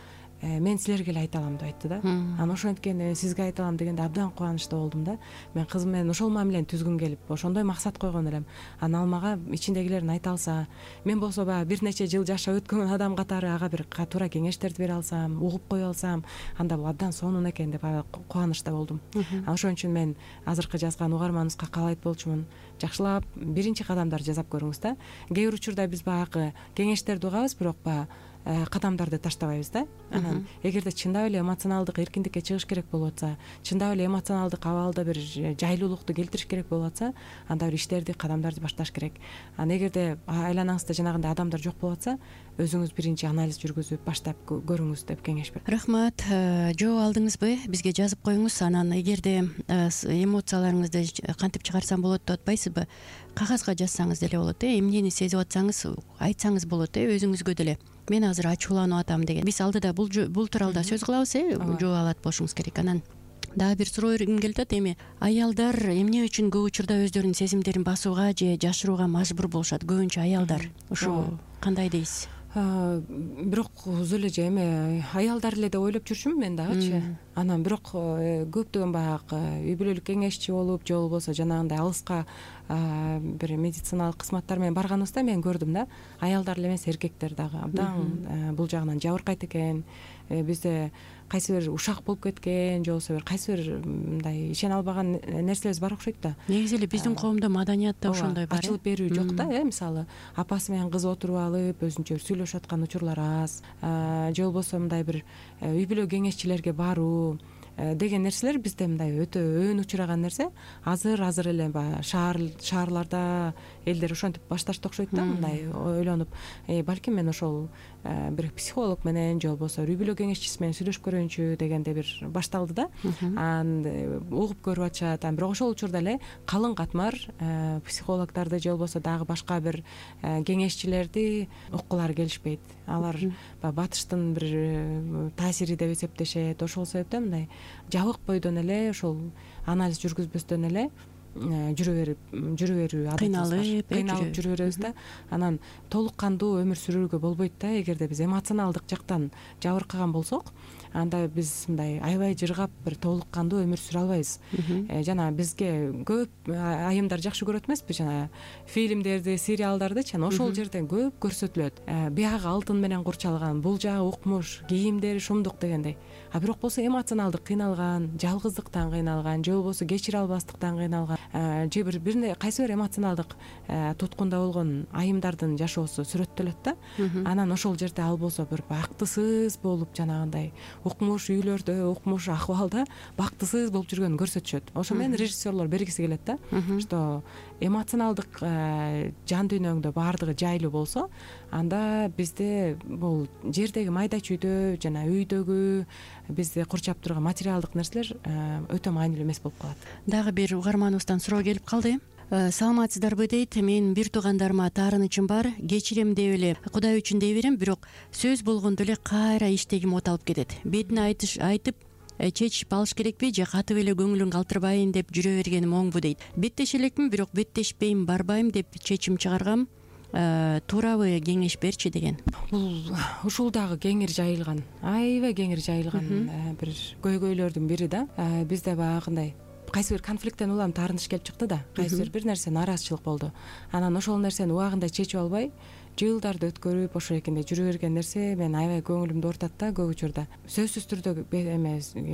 мен силерге эле айта алам деп айтты да. Анан ошенткени сизге айта алам дегенде абдан кубанычта болдум да. Мен кызым менен ошол мамилени түзгүм келип, ошондой максат койгон элем. Анан ал мага ичиндегилерин айта алса, мен болсо баягы бир нече жыл жашап өткөн адам катары ага бир туура кеңештерди бере алсам, угуп кое алсам, анда бул абдан сонун экен деп кубанычта болдум. Анан ошон үчүн мен азыркы жазган угарманыбызга каалайт болчумун, жакшылап биринчи кадамдарды жасап көрүңүз да. Кээ бир учурда биз баягы кеңештерди угабыз, бирок баягы кадамдарды таштабайбыз да. Анан эгерде чындап эле эмоционалдык эркиндикке чыгыш керек болуп атса, чындап эле эмоционалдык абалда бир жайлуулукту келтириш керек болуп атса, анда бир иштерди, кадамдарды башташ керек. Анан эгерде айланаңызда жанагындай адамдар жок болуп атса, өзүңүз биринчи анализ жүргүзүп баштап көрүңүз деп кеңеш берем. Рахмат. Жооп алдыңызбы? Бизге жазып коюңуз. Анан эгерде эмоцияларыңызды кантип чыгарсам болот деп атпайсызбы? Кагазга жазсаңыз деле болот. Эмнени сезип атсаңыз айтсаңыз болот, өзүңүзгө деле. Мен азыр ачууланып атам деген. Биз алдыда бул тууралуу да сөз кылабыз, жооп алат болушуңуз керек. Анан дагы бир суроо келип атат. Эми аялдар эмне үчүн көп учурда өздөрүнүн сезимдерин басууга же жашырууга мажбур болушат? Көбүнчө аялдар. Ушу кандай дейсиз? Бирок өзү эле же эми аялдар эле деп ойлоп жүрчүмүн мен дагычы. Анан бирок көптөгөн баягы үй бүлөлүк кеңешчи болуп, же болбосо жанагындай алыска бир медициналык кызматтар менен барганыбызда мен көрдүм да, аялдар эле эмес, эркектер дагы абдан бул жагынан жабыркайт экен. Бизде кайсы бир ушак болуп кеткен, же болбосо бир кайсы бир мындай ишене албаган нерселерибиз бар окшойт да. Негизи эле биздин коомдо маданиятта ошондой бар. Ачылып берүү жок да, мисалы апасы менен кызы отуруп алып өзүнчө сүйлөшүп аткан учурлар аз, же болбосо мындай бир үй бүлө кеңешчилерге баруу деген нерселер бизде мындай өтө өөн учураган нерсе. Азыр эле баягы шаарларда элдер ошентип башташты окшойт да, мындай ойлонуп, балким мен ошол бир психолог менен же болбосо үй бүлө кеңешчиси менен сүйлөшүп көрөйүнчү дегенде бир башталды да. Анан угуп көрүп атышат. Бирок ошол учурда эле калың катмар психологдорду же болбосо дагы башка бир кеңешчилерди уккулары келишпейт. Алар батыштын бир таасири деп эсептешет. Ошол себептен мындай жабык бойдон эле ошол анализ жүргүзбөстөн эле жүрө берүү кыйналып жүрө беребиз да. Анан толук кандуу өмүр сүрүүгө болбойт да. Эгерде биз эмоционалдык жактан жабыркаган болсок, анда биз мындай аябай жыргап бир толук кандуу өмүр сүрө албайбыз. Жана бизге көп айымдар жакшы көрөт эмеспи, жана фильмдерди, сериалдардычы, ошол жерден көп көрсөтүлөт. Биягы алтын менен курчалган, бул жагы укмуш, кийимдери шумдук дегендей. Бирок болсо эмоционалдык кыйналган, жалгыздыктан кыйналган, же болбосо кечире албастыктан кыйналган, же бир кайсы бир эмоционалдык туткунда болгон айымдардын жашоосу сүрөттөлөт да. Анан ошол жерде ал болсо бир бактысыз болуп, жанагындай укмуш үйлөрдө, укмуш акыбалда бактысыз болуп жүргөнүн көрсөтүшөт. Ошо менен режиссерлор бергиси келет да, что эмоционалдык жан дүйнөңдө баардыгы жайлуу болсо, анда бизде бул жердеги майда чүйдө жана үйдөгү бизди курчап турган материалдык нерселер өтө маанилүү эмес болуп калат. Дагы бир угарманыбыздан суроо келип калды. Саламатсыздарбы дейт. Мен бир туугандарыма таарынычым бар. Кечирем деп эле, Кудай үчүн дей берем, бирок сөз болгондо эле кайра иштегим оталып кетет. Бетине айтып чечип алыш керекпи же катып эле көңүлүн калтырбайын деп жүрө бергеним оңбу дейт. Беттеше элекмин, бирок беттешпейм, барбайм деп чечим чыгаргам. Туурабы, кеңеш берчи деген. Бул ушул дагы кеңир жайылган, аябай кеңир жайылган бир көйгөйлөрдүн бири да. Бизде баягындай кайсы бир конфликттен улам таарыныш келип чыкты да, кайсы бир нерсе нараазычылык болду. Анан ошол нерсени убагында чечип албай, жылдарды өткөрүп ошол экенде жүрө берген нерсе мен аябай көңүлүмдү оорутат да. Көп учурда сөзсүз түрдө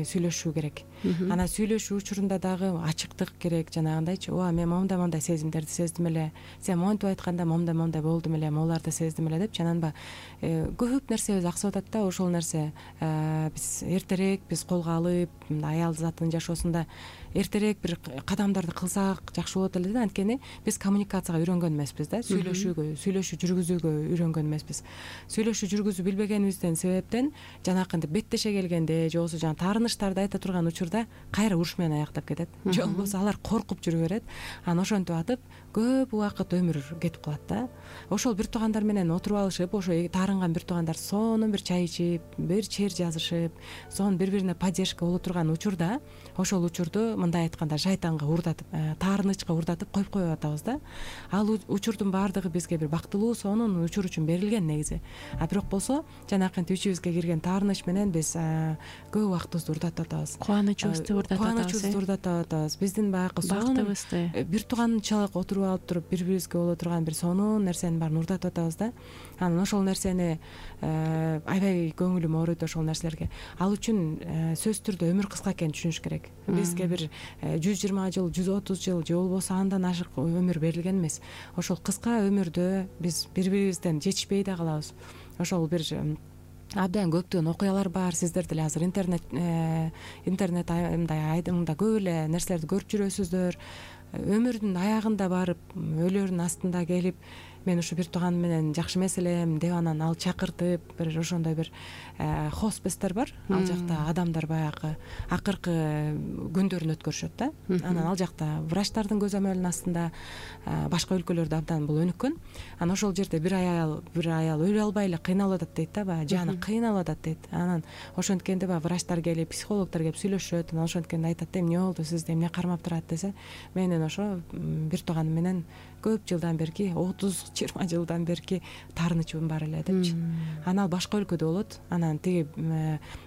сүйлөшүү керек. Анан сүйлөшүү учурунда дагы ачыктык керек, жанагындайчы, мен момундай сезимдерди сездим эле, сен монтип айтканда момундай болдум эле, могуларды сездим эле деп, жананба көп нерсебиз аксап атат да. Ошол нерсе биз эртерээк колго алып, аял затынын жашоосунда эртерээк бир кадамдарды кылсак жакшы болот эле да. Анткени биз коммуникацияга үйрөнгөн эмеспиз да, сүйлөшүү жүргүзүүгө үйрөнгөн эмеспиз. Сүйлөшүү жүргүзүү билбегенибизден себептен жанакынтип беттеше келгенде же болбосо жанагы таарынычтарды айта турган учурда кайра уруш менен аяктап кетет, же болбосо алар коркуп жүрө берет. Анан ошентип атып көп убакыт өмүр кетип калат да. Ошол бир туугандар менен отуруп алышып, ошо таарынган бир туугандар сонун бир чай ичип, бир чер жазышып, сонун бири-бирине поддержка боло турган учурда ошол учурду мындай айтканда шайтанга уурдатып, таарынычка уурдатып коюп коюп атабыз да. Ал учурдун баардыгы бизге бир бактылуу, сонун учур үчүн берилген негизи. А бирок болсо жанакынтип ичибизге кирген таарыныч менен биз көп убактыбызды уурдатып атабыз. Кубанычыбызды уурдатып атабыз. Биздин баягы бактыбызды, бир тууганчалык отуруп алып туруп бири-бирибизге боло турган бир сонун нерсенин баарын уурдатып атабыз да. Анан ошол нерсени аябай көңүлүм ооруйт ошол нерселерге. Ал үчүн сөзсүз түрдө өмүр кыска экенин түшүнүш керек. Бизге бир 120 жыл, 130 жыл же болбосо андан ашык өмүр берилген эмес. Ошол кыска өмүрдө биз бири-бирибизден жетишпей да калабыз. Ошол бир абдан көптөгөн окуялар бар. Сиздер деле азыр интернет мындай көп эле нерселерди көрүп жүрөсүздөр. Өмүрдүн аягында барып, өлөрүн астында келип, мен ушу бир тууган менен жакшы эмес элем деп анан ал чакыртып, бир ошондой бир хоспестер бар. Ал жакта адамдар баягы акыркы күндөрүн өткөрүшөт да. Анан ал жакта врачтардын көзөмөлүнүн астында, башка өлкөлөрдө абдан бул өнүккөн. Анан ошол жерде бир аял өлө албай эле кыйналып атат дейт да, баягы жаны кыйналып атат дейт. Анан ошенткенде баягы врачтар келип, психологдор келип сүйлөшөт. Анан ошенткенде айтат да, эмне болду, сизди эмне кармап турат десе, менин ошо бир тууганым менен көп жылдан берки, 30-20 жылдан берки таарынычыбым бар эле депчи. Анан ал башка өлкөдө болот. Анан тиги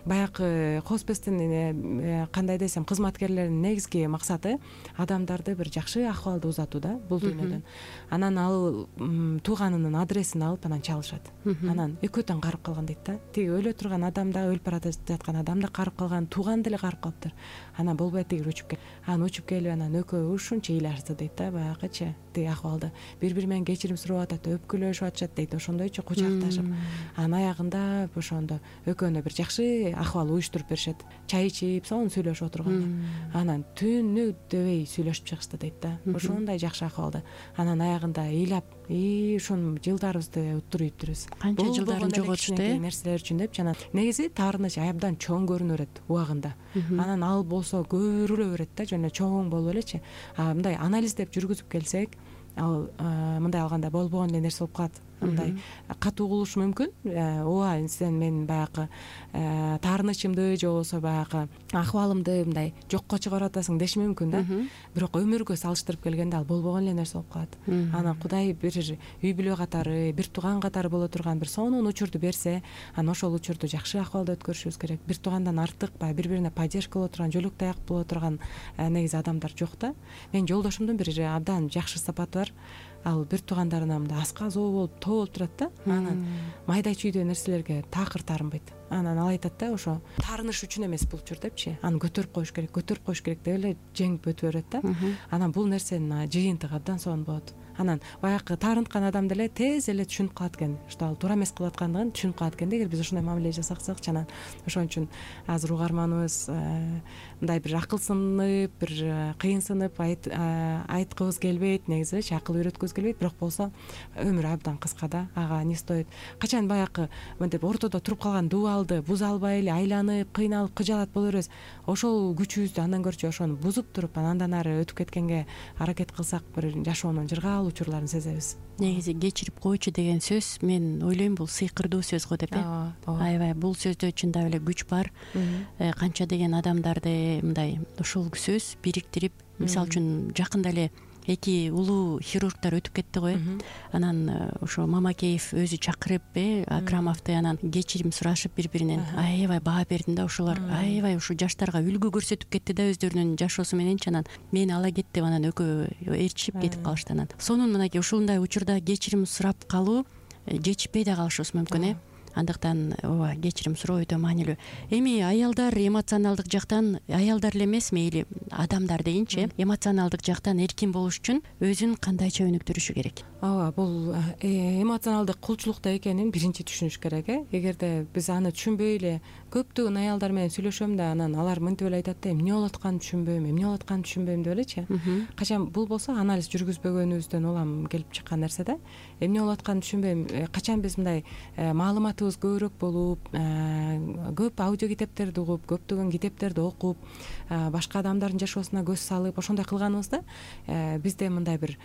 баягы хоспестин кандай десем, кызматкерлеринин негизги максаты адамдарды бир жакшы акыбалда узатуу да, бул дүйнөдөн. Анан ал тууганынын адресин алып анан чалышат. Анан экөө тең карып калган дейт да. Тиги өлө турган адам да, өлүп бара жаткан адам да карып калган, тууган деле карып калыптыр. Анан болбойт, тиги учуп кел. Анан учуп келип анан экөө ушунча ыйлашты дейт да, баягычы. Тиги акыбалды бири-бири менен кечирим сурап атат, өпкүлөшүп атышат дейт, ошондойчу кучакташып. Анан аягында ошондо экөөнө бир жакшы акыбал уюштуруп беришет. Чай ичип, сонун сүйлөшүп отурганда. Анан түнү дебей сүйлөшүп чыгышты дейт да. Ошондой жакшы акыбалда. Анан аягында ыйлап, ушун жылдарыбызды уттуруйптурбуз. Канча жылдарын жоготушту нерселер үчүн депчи. Анан негизи таарыныч абдан чоң көрүнө берет убагында. Анан ал болсо көрүлө берет да, жана чоң болуп элечи. Мындай анализдеп жүргүзүп келсек, ал мындай алганда болбогон эле нерсе болуп калат. Мындай катуу угулушу мүмкүн. Ооба, сен менин баягы таарынычымды же болбосо баягы акыбалымды мындай жокко чыгарып атасың деши мүмкүн да. Бирок өмүргө салыштырып келгенде ал болбогон эле нерсе болуп калат. Анан Кудай бир үй бүлө катары, бир тууган катары боло турган бир сонун учурду берсе, анан ошол учурду жакшы акыбалда өткөрүшүбүз керек. Бир туугандан артык баягы бири-бирине поддержка боло турган, жөлөк таяк боло турган негизи адамдар жок да. Менин жолдошумдун бир абдан жакшы сапаты бар. Ал бир туугандарына мындай асказоо болуп, тоо болуп турат да. Анан майда чүйдө нерселерге такыр таарынбайт. Анан ал айтат да, ошо таарыныш үчүн эмес бул учур депчи. Аны көтөрүп коюш керек деп эле жеңип өтүп берет да. Анан бул нерсенин жыйынтыгы абдан сонун болот. Анан баягы таарынткан адам деле тез эле түшүнүп калат экен, что ал туура эмес кылып аткандыгын түшүнүп калат экен. Эгер биз ошондой мамиле жасасакчы, анан ошон үчүн азыр угарманыбыз мындай бир акылсынып, бир кыйынсынып айткыбыз келбейт, негизичи акыл үйрөткүбүз келбейт, бирок болсо өмүр абдан кыска да, ага не стоит. Качан баягы мынтип ортодо туруп калган дубалды буза албай эле айланып, кыйналып, кыжалат боло беребиз. Ошол күчүбүздү андан көрчү ошону бузуп туруп, андан ары өтүп кеткенге аракет кылсак, бир жашоонун жыргал учурларын сезебиз. Негизи кечирип койчу деген сөз, мен ойлойм, бул сыйкырдуу сөз го деп. Аябай бул сөздө чындап эле күч бар. Канча деген адамдарды мындай ушул сөз бириктирип, мисалы үчүн жакында эле 2 улуу хирургдар өтүп кетти го. Анан ошо Мамакеев өзү чакырып, Акрамовду анан кечирим сурашып бири-биринен аябай баа берди да. Ошолор аябай ушу жаштарга үлгү көрсөтүп кетти да, өздөрүнүн жашоосу мененчи. Анан мени ала кет деп анан экөө ээрчишип кетип калышты. Анан сонун мынакей ушундай учурда кечирим сурап калуу, жетишпей да калышыбыз мүмкүн. андыктан ооба кечирим суроо өтө маанилүү. Эми аялдар эмоционалдык жактан, аялдар эле эмес мейли адамдар дейинчи, эмоционалдык жактан эркин болуш үчүн өзүн кандайча өнүктүрүшү керек? Ооба, бул эмоционалдык кулчулукта экенин биринчи түшүнүш керек. Эгерде биз аны түшүнбөй эле көптөгөн аялдар менен сүйлөшөм да, анан алар мынтип эле айтат да, эмне болуп атканын түшүнбөйм, эмне болуп атканын түшүнбөйм деп элечи. Качан бул болсо анализ жүргүзбөгөнүбүздөн улам келип чыккан нерсе да. Эмне болуп атканын түшүнбөйм. Качан биз мындай маалыматыбыз көбүрөөк болуп, көп аудио китептерди угуп, көптөгөн китептерди окуп, башка адамдардын жашоосуна көз салып, ошондой кылганыбызда бизде мындай бир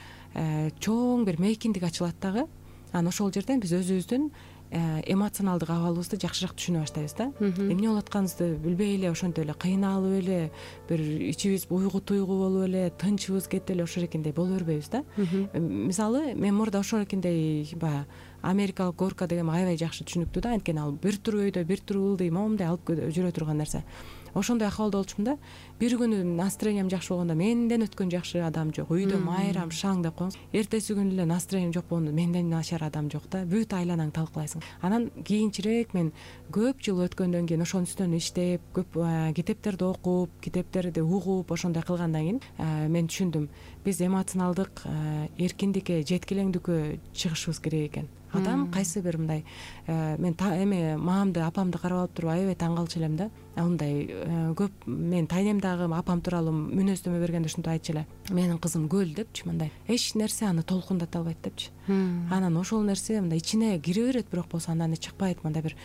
чоң бир мейкиндик ачылат дагы. Анан ошол жерден биз өзүбүздүн эмоционалдык абалыбызды жакшыраак түшүнө баштайбыз да. Эмне болуп атканыбызды билбей эле, ошентип эле кыйналып эле, бир ичибиз уйгу туйгу болуп эле, тынчыбыз кетип эле ошол эркиндей боло бербейбиз да. Мисалы мен мурда ошол эркиндей баягы америкалык горка деген аябай жакшы түшүнүктүү да, анткени ал бир тур өйдө, бир тур ылдый, момундай алып жүрө турган нерсе. Ошондой акыбалда болчумун да. Бир күнү настроением жакшы болгондо менден өткөн жакшы адам жок, үйдө майрам шаң деп коюңуз. Эртеси күнү эле настроением жок болгондо менден начар адам жок да. Бүт айланаңды талкалайсың. Анан кийинчерээк мен көп жыл өткөндөн кийин ошонун үстүнөн иштеп, көп китептерди окуп, китептерди угуп, ошондой кылгандан кийин мен түшүндүм, биз эмоционалдык эркиндикке, жеткилеңдиккө чыгышыбыз керек экен. Адам кайсы бир мындай мен эме маамды, апамды карап алып туруп аябай таң калчу элем да. Мындай көп мен тайнемдагы апам тууралуу мүнөздөмө бергенде ушинтип айтчу эле. Менин кызым көл депчи, мындай эч нерсе аны толкундата албайт депчи. Анан ошол нерсе мындай ичине кире берет, бирок болсо андан чыкпайт, мындай бир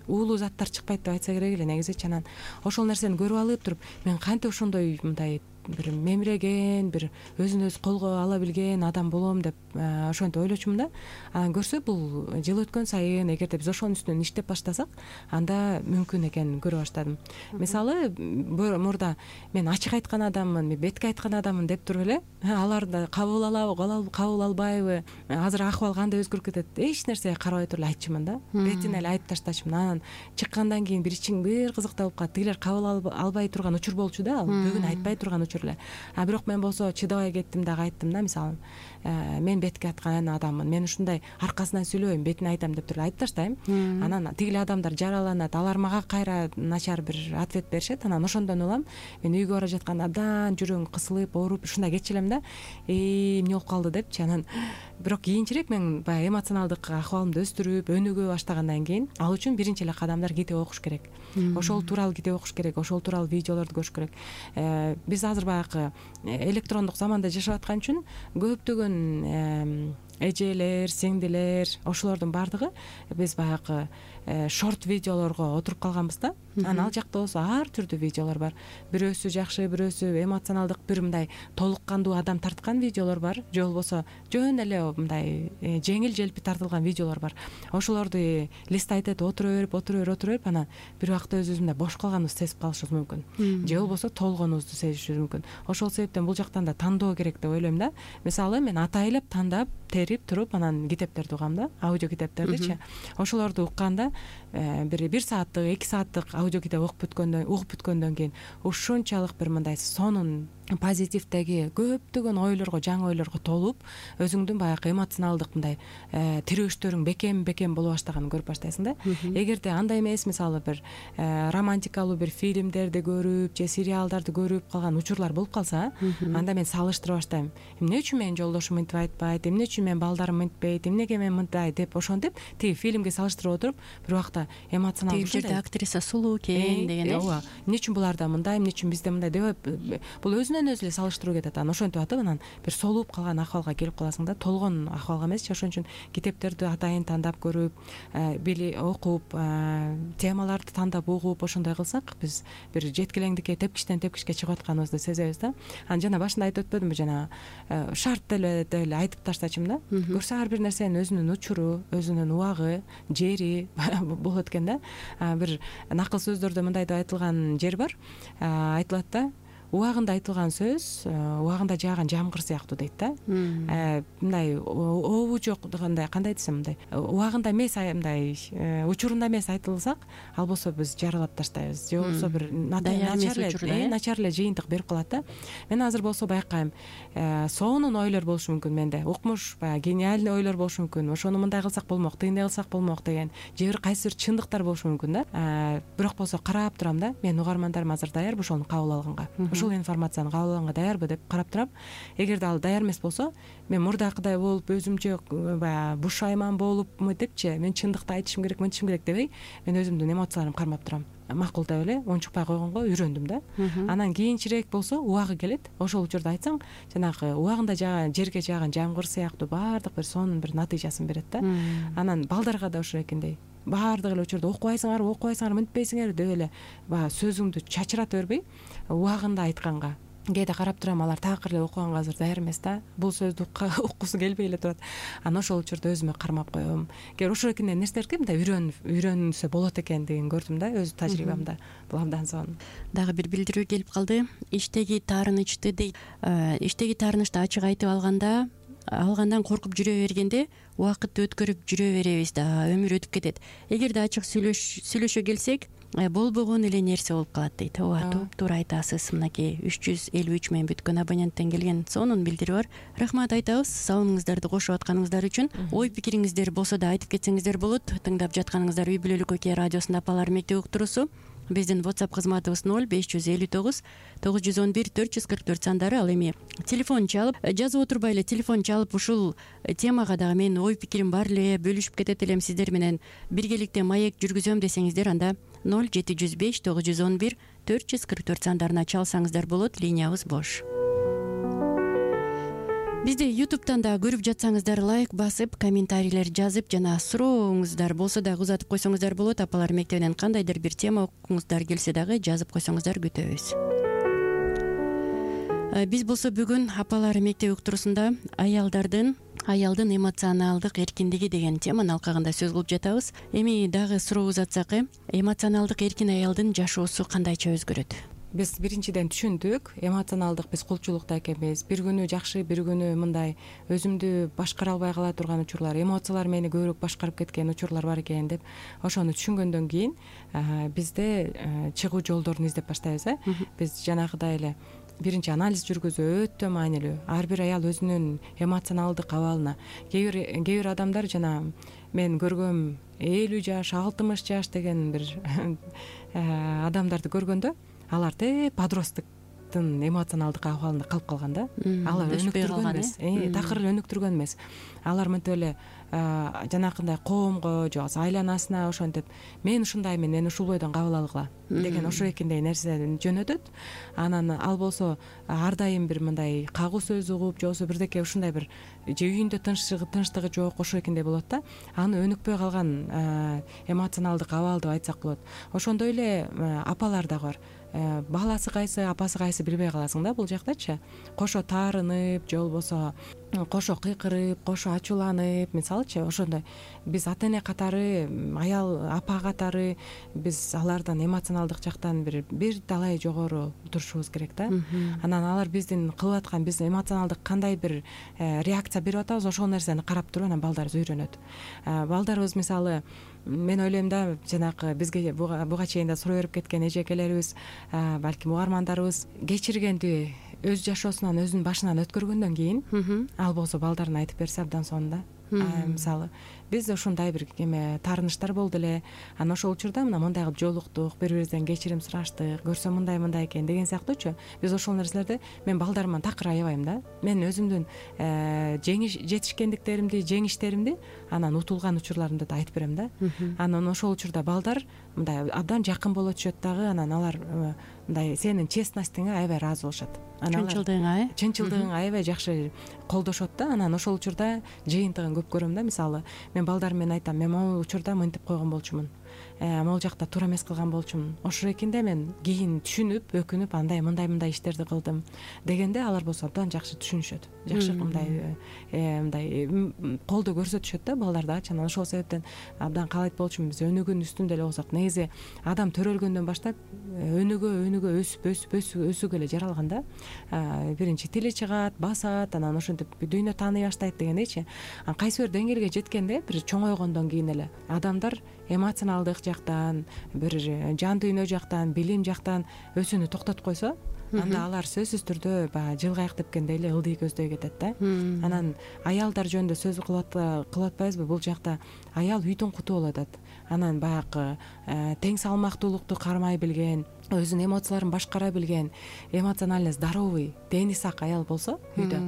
уулуу заттар чыкпайт деп айтса керек эле негизичи. Анан ошол нерсени көрүп алып туруп мен кантип ошондой мындай бир мемиреген, бир өзүн өзү колго ала билген адам болом деп ошентип ойлочумун да. Анан көрсө бул жыл өткөн сайын эгерде биз ошонун үстүнөн иштеп баштасак, анда мүмкүн экенин көрө баштадым. Мисалы мурда мен ачык айткан адаммын, мен бетке айткан адаммын деп туруп эле аларды кабыл алабы, кабыл албайбы, азыр акыбал кандай өзгөрүп кетет, эч нерсеге карабай туруп эле айтчумун да. Бетине эле айтып таштачумун. Анан чыккандан кийин бир ичиң бир кызыктуу болуп калат. Тигилер кабыл албай турган учур болчу да, ал бүгүн айтпай турган учур эле. Бирок мен болсо чыдабай кеттим дагы айттым да. Мисалы мен бетке айткан адаммын, мен ушундай аркасынан сүйлөбөйм, бетине айтам деп туруп айтып таштайм. Анан тигил адамдар жараланат, алар мага кайра начар бир ответ беришет. Анан ошондон улам мен үйгө бара жатканда абдан жүрөгүм кысылып, ооруп ушундай кетчү элем да. Эмне болуп калды депчи. Анан бирок кийинчерээк мен баягы эмоционалдык акыбалымды өстүрүп, өнүгө баштагандан кийин ал үчүн биринчи эле кадамдар китеп окуш керек. Ошол тууралуу китеп окуш керек, ошол тууралуу видеолорду көрүш керек. Биз азыр баягы электрондук заманда жашап аткан үчүн көптөгөн эжелер, сиңдилер, ошолордун баардыгы биз баягы шорт видеолорго отуруп калганбыз да. Анан ал жакта болсо ар түрдүү видеолор бар. Бирөөсү жакшы, бирөөсү эмоционалдык бир мындай толук кандуу адам тарткан видеолор бар, же болбосо жөн эле мындай жеңил желпи тартылган видеолор бар. Ошолорду листайт этип отура берип анан бир убакта өзүбүз мындай бош калганыбызды сезип калышыбыз мүмкүн. Же болбосо толгонубузду сезишибиз мүмкүн. Ошол себептен бул жактан да тандоо керек деп ойлойм да. Мисалы мен атайлап тандап, терип туруп анан китептерди угам да, аудио китептердичи. Ошолорду укканда бир сааттык, 2 сааттык аудио китеп угуп бүткөндөн кийин ушунчалык бир мындай сонун позитивдеги көптөгөн ойлорго, жаңы ойлорго толуп, өзүңдүн баягы эмоционалдык мындай тирөөчтөрүң бекем боло баштаганын көрүп баштайсың да. Эгерде андай эмес, мисалы бир романтикалуу бир фильмдерди көрүп же сериалдарды көрүп калган учурлар болуп калса, анда мен салыштыра баштайм. Эмне үчүн менин жолдошум мынтип айтпайт, эмне үчүн менин балдарым мынтпайт, эмнеге мен мындай деп ошентип тиги фильмге салыштырып отуруп, бир убакта эмоционалдык тиги жерде актриса сулуу экен деген ооба, эмне үчүн буларда мындай, эмне үчүн бизде мындай деп бул өзүнөн өзү эле салыштыруу кетет. Анан ошентип атып анан бир солууп калган акыбалга келип каласың да, толгон акыбалга эмесчи. Ошон үчүн китептерди атайын тандап көрүп, окуп, темаларды тандап угуп, ошондой кылсак биз бир жеткилеңдикке, тепкичтен тепкичке чыгып атканыбызды сезебиз да. Анан жана башында айтып өтпөдүмбү, жана шарт деп эле айтып таштачумун да. Көрсө ар бир нерсенин өзүнүн учуру, өзүнүн убагы, жери болот экен да. Бир накыл сөздөрдө мындай деп айтылган жер бар. Айтылат да, убагында айтылган сөз убагында жааган жамгыр сыяктуу дейт да. Мындай обу жок дегенде кандай десем, мындай убагында эмес, мындай учурунда эмес айтылсак, ал болсо биз жаралап таштайбыз, же болбосо бир начар эле жыйынтык берип калат да. Мен азыр болсо байкайм, сонун ойлор болушу мүмкүн менде, укмуш баягы гениальный ойлор болушу мүмкүн, ошону мындай кылсак болмок, тигиндей кылсак болмок деген же бир кайсы бир чындыктар болушу мүмкүн да. Бирок болсо карап турам да, мен угармандарым азыр даярбы ошону кабыл алганга, ушул информацияны кабыл алганга даярбы деп карап турам. Эгерде ал даяр эмес болсо, мен мурдакыдай болуп өзүмчө баягы бушайман болуп мынтипчи, мен чындыкты айтышым керек, мынтишим керек дебей, мен өзүмдүн эмоцияларымды кармап турам. Макул деп эле унчукпай койгонго үйрөндүм да. Анан кийинчерээк болсо убагы келет, ошол учурда айтсаң, жанагы убагында жааган жерге жааган жамгыр сыяктуу баардык бир сонун бир натыйжасын берет да. Анан балдарга да ошо экендей, баардык эле учурда окубайсыңарбы, мынтпейсиңерби деп эле баягы сөзүңдү чачырата бербей, убагында айтканга. Кээде карап турам, алар такыр эле окуганга азыр даяр эмес да, бул сөздү уккусу келбей эле турат. Анан ошол учурда өзүмө кармап коем. Кээ ошол нерселерге мындай үйрөнүлсө болот экен деген көрдүм да, өз тажрыйбамда. Бул абдан сонун. Дагы бир билдирүү келип калды. Иштеги таарынычты дейт. Иштеги таарынычты ачык айтып алгандан коркуп жүрө бергенде убакытты өткөрүп жүрө беребиз да, өмүр өтүп кетет. Эгерде ачык сүйлөшө келсек, болбогон эле нерсе болуп калат дейт. Ооба, туура айтасыз. Мынакей 353 мен бүткөн абоненттен келген сонун билдирүү бар. Рахмат айтабыз салонуңуздарды кошуп атканыңыздар үчүн. Ой пикириңиздер болсо да айтып кетсеңиздер болот. Тыңдап жатканыңыздар Үй бүлөлүк Окей радиосунун Апалар мектеби уктуруусу. Биздин WhatsApp кызматыбыз 0559 911 444 сандары. Ал эми телефон чалып, жазып отурбай эле телефон чалып, ушул темага дагы менин ой пикирим бар эле, бөлүшүп кетет элем сиздер менен биргеликте маек жүргүзөм десеңиздер, анда 0705 911 444 сандарына чалсаңыздар болот. Линиябыз бош. Бизди YouTube'тан да көрүп жатсаңыздар, лайк басып, комментарийлер жазып, жана сурооңуздар болсо дагы узатып койсоңуздар болот. Апалар мектебинен кандайдыр бир тема окуңуздар келсе дагы жазып койсоңуздар күтөбүз. Биз болсо бүгүн Апалар мектеби уктуруусунда аялдын эмоционалдык эркиндиги деген теманын алкагында сөз кылып жатабыз. Эми дагы суроо узатсак, эмоционалдык эркин аялдын жашоосу кандайча өзгөрөт? Биз биринчиден түшүндүк, эмоционалдык биз кулчулукта экенбиз. Бир күнү жакшы, бир күнү мындай өзүмдү башкара албай кала турган учурлар, эмоциялар мени көбүрөөк башкарып кеткен учурлар бар экен деп ошону түшүнгөндөн кийин бизде чыгуу жолдорун издеп баштайбыз. Биз жанагыдай эле биринчи анализ жүргүзүү өтө маанилүү. Ар бир аял өзүнүн эмоционалдык абалына, кээ бир адамдар жана мен көргөм 50 жаш, 60 жаш деген бир адамдарды көргөндө алар подростуктун эмоционалдык абалында калып калган да. Алар өнүктүргөн эмес, такыр эле өнүктүргөн эмес. Алар мынтип эле жанакындай коомго же болбосо айланасына ошентип мен ушундаймын, мени ушул бойдон кабыл алгыла деген ошо экендей нерседен жөнөтөт. Анан ал болсо ар дайым бир мындай кагуу сөз угуп же болбосо бирдеке ушундай бир же үйүндө тынчтыгы жок ошо экендей болот да. Аны өнүкпөй калган эмоционалдык абал деп айтсак болот. Ошондой эле апалар дагы бар. Баласы кайсы, апасы кайсы билбей каласың да бул жактачы. Кошо таарынып же болбосо кошо кыйкырып, кошо ачууланып, мисалычы ошондой биз ата эне катары, аял апа катары биз алардан эмоционалдык жактан бир талай жогору турушубуз керек да. Анан алар биздин кылып аткан, биз эмоционалдык кандай бир реакция берип атабыз, ошол нерсени карап туруп анан балдарыбыз үйрөнөт. Балдарыбыз мисалы мен ойлойм да, жанагы бизге буга чейин да суроо берип кеткен эжекелерибиз, балким угармандарыбыз кечиргенди өз жашоосунан, өзүнүн башынан өткөргөндөн кийин ал болсо балдарына айтып берсе абдан сонун да. Мисалы биз ушундай бир таарынычтар болду эле, анан ошол учурда мындай кылып жолуктук, бири-бирибизден кечирим сураштык, көрсө мындай экен деген сыяктуучу. Биз ошол нерселерди мен балдарыман такыр аябайм да. Мен өзүмдүн жетишкендиктеримди, жеңиштеримди, анан утулган учурларымды да айтып берем да. Анан ошол учурда балдар мындай абдан жакын боло түшөт дагы, анан алар мындай сенин честностьиңе аябай ыраазы болушат. Чынчылдыгыңа аябай жакшы колдошот да. Анан ошол учурда жыйынтыгын көп көрөм да. Мисалы мен балдарым менен айтам, мен могул учурда мынтип койгон болчумун, могул жакта туура эмес кылган болчумун, ошо экен да мен кийин түшүнүп өкүнүп мындай иштерди кылдым дегенде алар болсо абдан жакшы түшүнүшөт, жакшы мындай колдоо көрсөтүшөт да балдар дагычы. Анан ошол себептен абдан каалайт болчумун биз өнүгүүнүн үстүндө эле болсок. Негизи адам төрөлгөндөн баштап өнүгө өсүгө эле жаралган да. Биринчи тили чыгат, басат, анан ошентип дүйнө тааный баштайт дегендейчи. Кайсы бир деңгээлге жеткенде, бир чоңойгондон кийин эле адамдар эмоционалдык жактан, бир жан дүйнө жактан, билим жактан өсүүнү токтотуп койсо, анда алар сөзсүз түрдө баягы жылгайык тепкендей эле ылдый көздөй кетет да. Анан аялдар жөнүндө сөз кылып атпайбызбы? Бул жакта аял үйдүн куту болуп атат. Анан баягы тең салмактуулукту кармай билген, өзүнүн эмоцияларын башкара билген, эмоционально здоровый, дени сак аял болсо үйдө,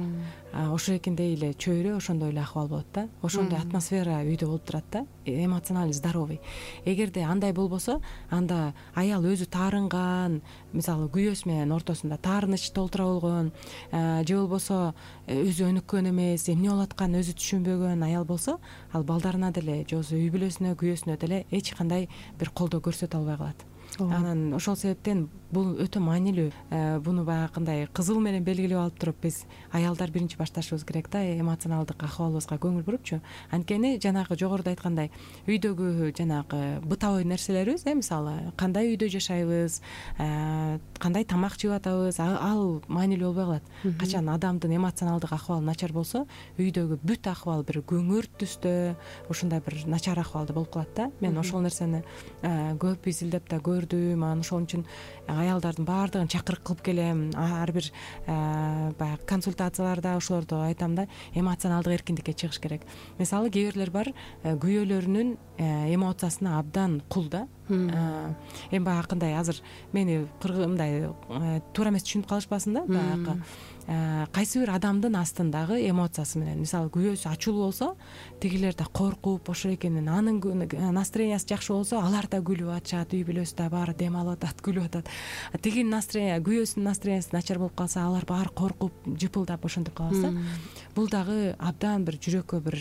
ошо экендей эле чөйрө ошондой эле акыбал болот да. Ошондой атмосфера үйдө болуп турат да, эмоционально здоровый. Эгерде андай болбосо, анда аял өзү таарынган, мисалы күйөөсү менен ортосунда таарыныч толтура болгон, же болбосо өзү өнүккөн эмес, эмне болуп атканын өзү түшүнбөгөн аял болсо, ал балдарына деле же болбосо үй бүлөсүнө, күйөөсүнө деле эч кандай бир колдоо көрсөтө албай калат. Анан ошол себептен бул өтө маанилүү. Буну баягындай кызыл менен белгилеп алып туруп биз аялдар биринчи башташыбыз керек да, эмоционалдык акыбалыбызга көңүл бурупчу. Анткени жанагы жогоруда айткандай үйдөгү жанагы бытовой нерселерибиз, мисалы кандай үйдө жашайбыз, кандай тамак жеп атабыз, ал маанилүү болбой калат. Качан адамдын эмоционалдык акыбалы начар болсо, үйдөгү бүт акыбал бир көңүрт түстө, ушундай бир начар акыбалда болуп калат да. Мен ошол нерсени көп изилдеп да көрдүм. Анан ошон үчүн аялдардын баардыгын чакырык кылып келем. Ар бир баягы консультацияларда ошолорду айтам да, эмоционалдык эркиндикке чыгыш керек. Мисалы кээ бирлер бар, күйөөлөрүнүн эмоциясына абдан кул да. Эми баягындай азыр мени мындай туура эмес түшүнүп калышпасын да, баягы кайсы бир адамдын астындагы эмоциясы менен, мисалы күйөөсү ачуулуу болсо, тигилер да коркуп ошо экенин, анын настроениясы жакшы болсо, алар да күлүп атышат, үй бүлөсү да баары дем алып атат, күлүп атат. Тигинин күйөөсүнүн настроениясы начар болуп калса, алар баары коркуп, жыпылдап ошентип калат. Бул дагы абдан бир жүрөккө, бир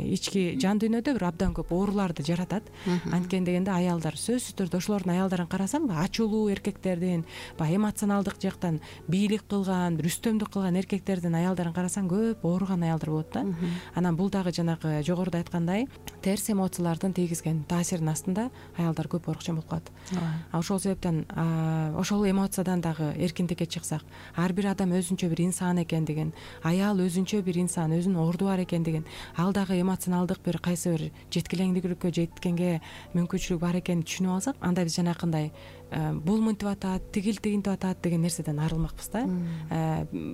ички жан дүйнөдө бир абдан көп ооруларды жаратат. Анткени дегенде аялдар сөзсүз түрдө ошолордун аялдарын карасам, ачуулуу эркектердин, эмоционалдык жактан бийлик кылган, бир үстөмдүк кылган эркектердин аялдарын карасаң, көп ооруган аялдар болот да. Анан бул дагы жанагы жогоруда айткандай терс эмоциялардын тийгизген таасиринин астында аялдар көп оорукчан болуп калат. Ошол себептен ошол эмоциядан дагы эркиндикке чыксак, ар бир адам өзүнчө бир инсан экендигин, аял өзүнчө бир инсан, өзүнүн орду бар экендигин, ал дагы эмоционалдык бир кайсы бир жеткилеңдүүлүккө жеткенге мүмкүнчүлүк бар экенин түшүнүп алсак, анда биз жанакындай бул мынтип атат, тигил тигинтип атат деген нерседен арылмакпыз да.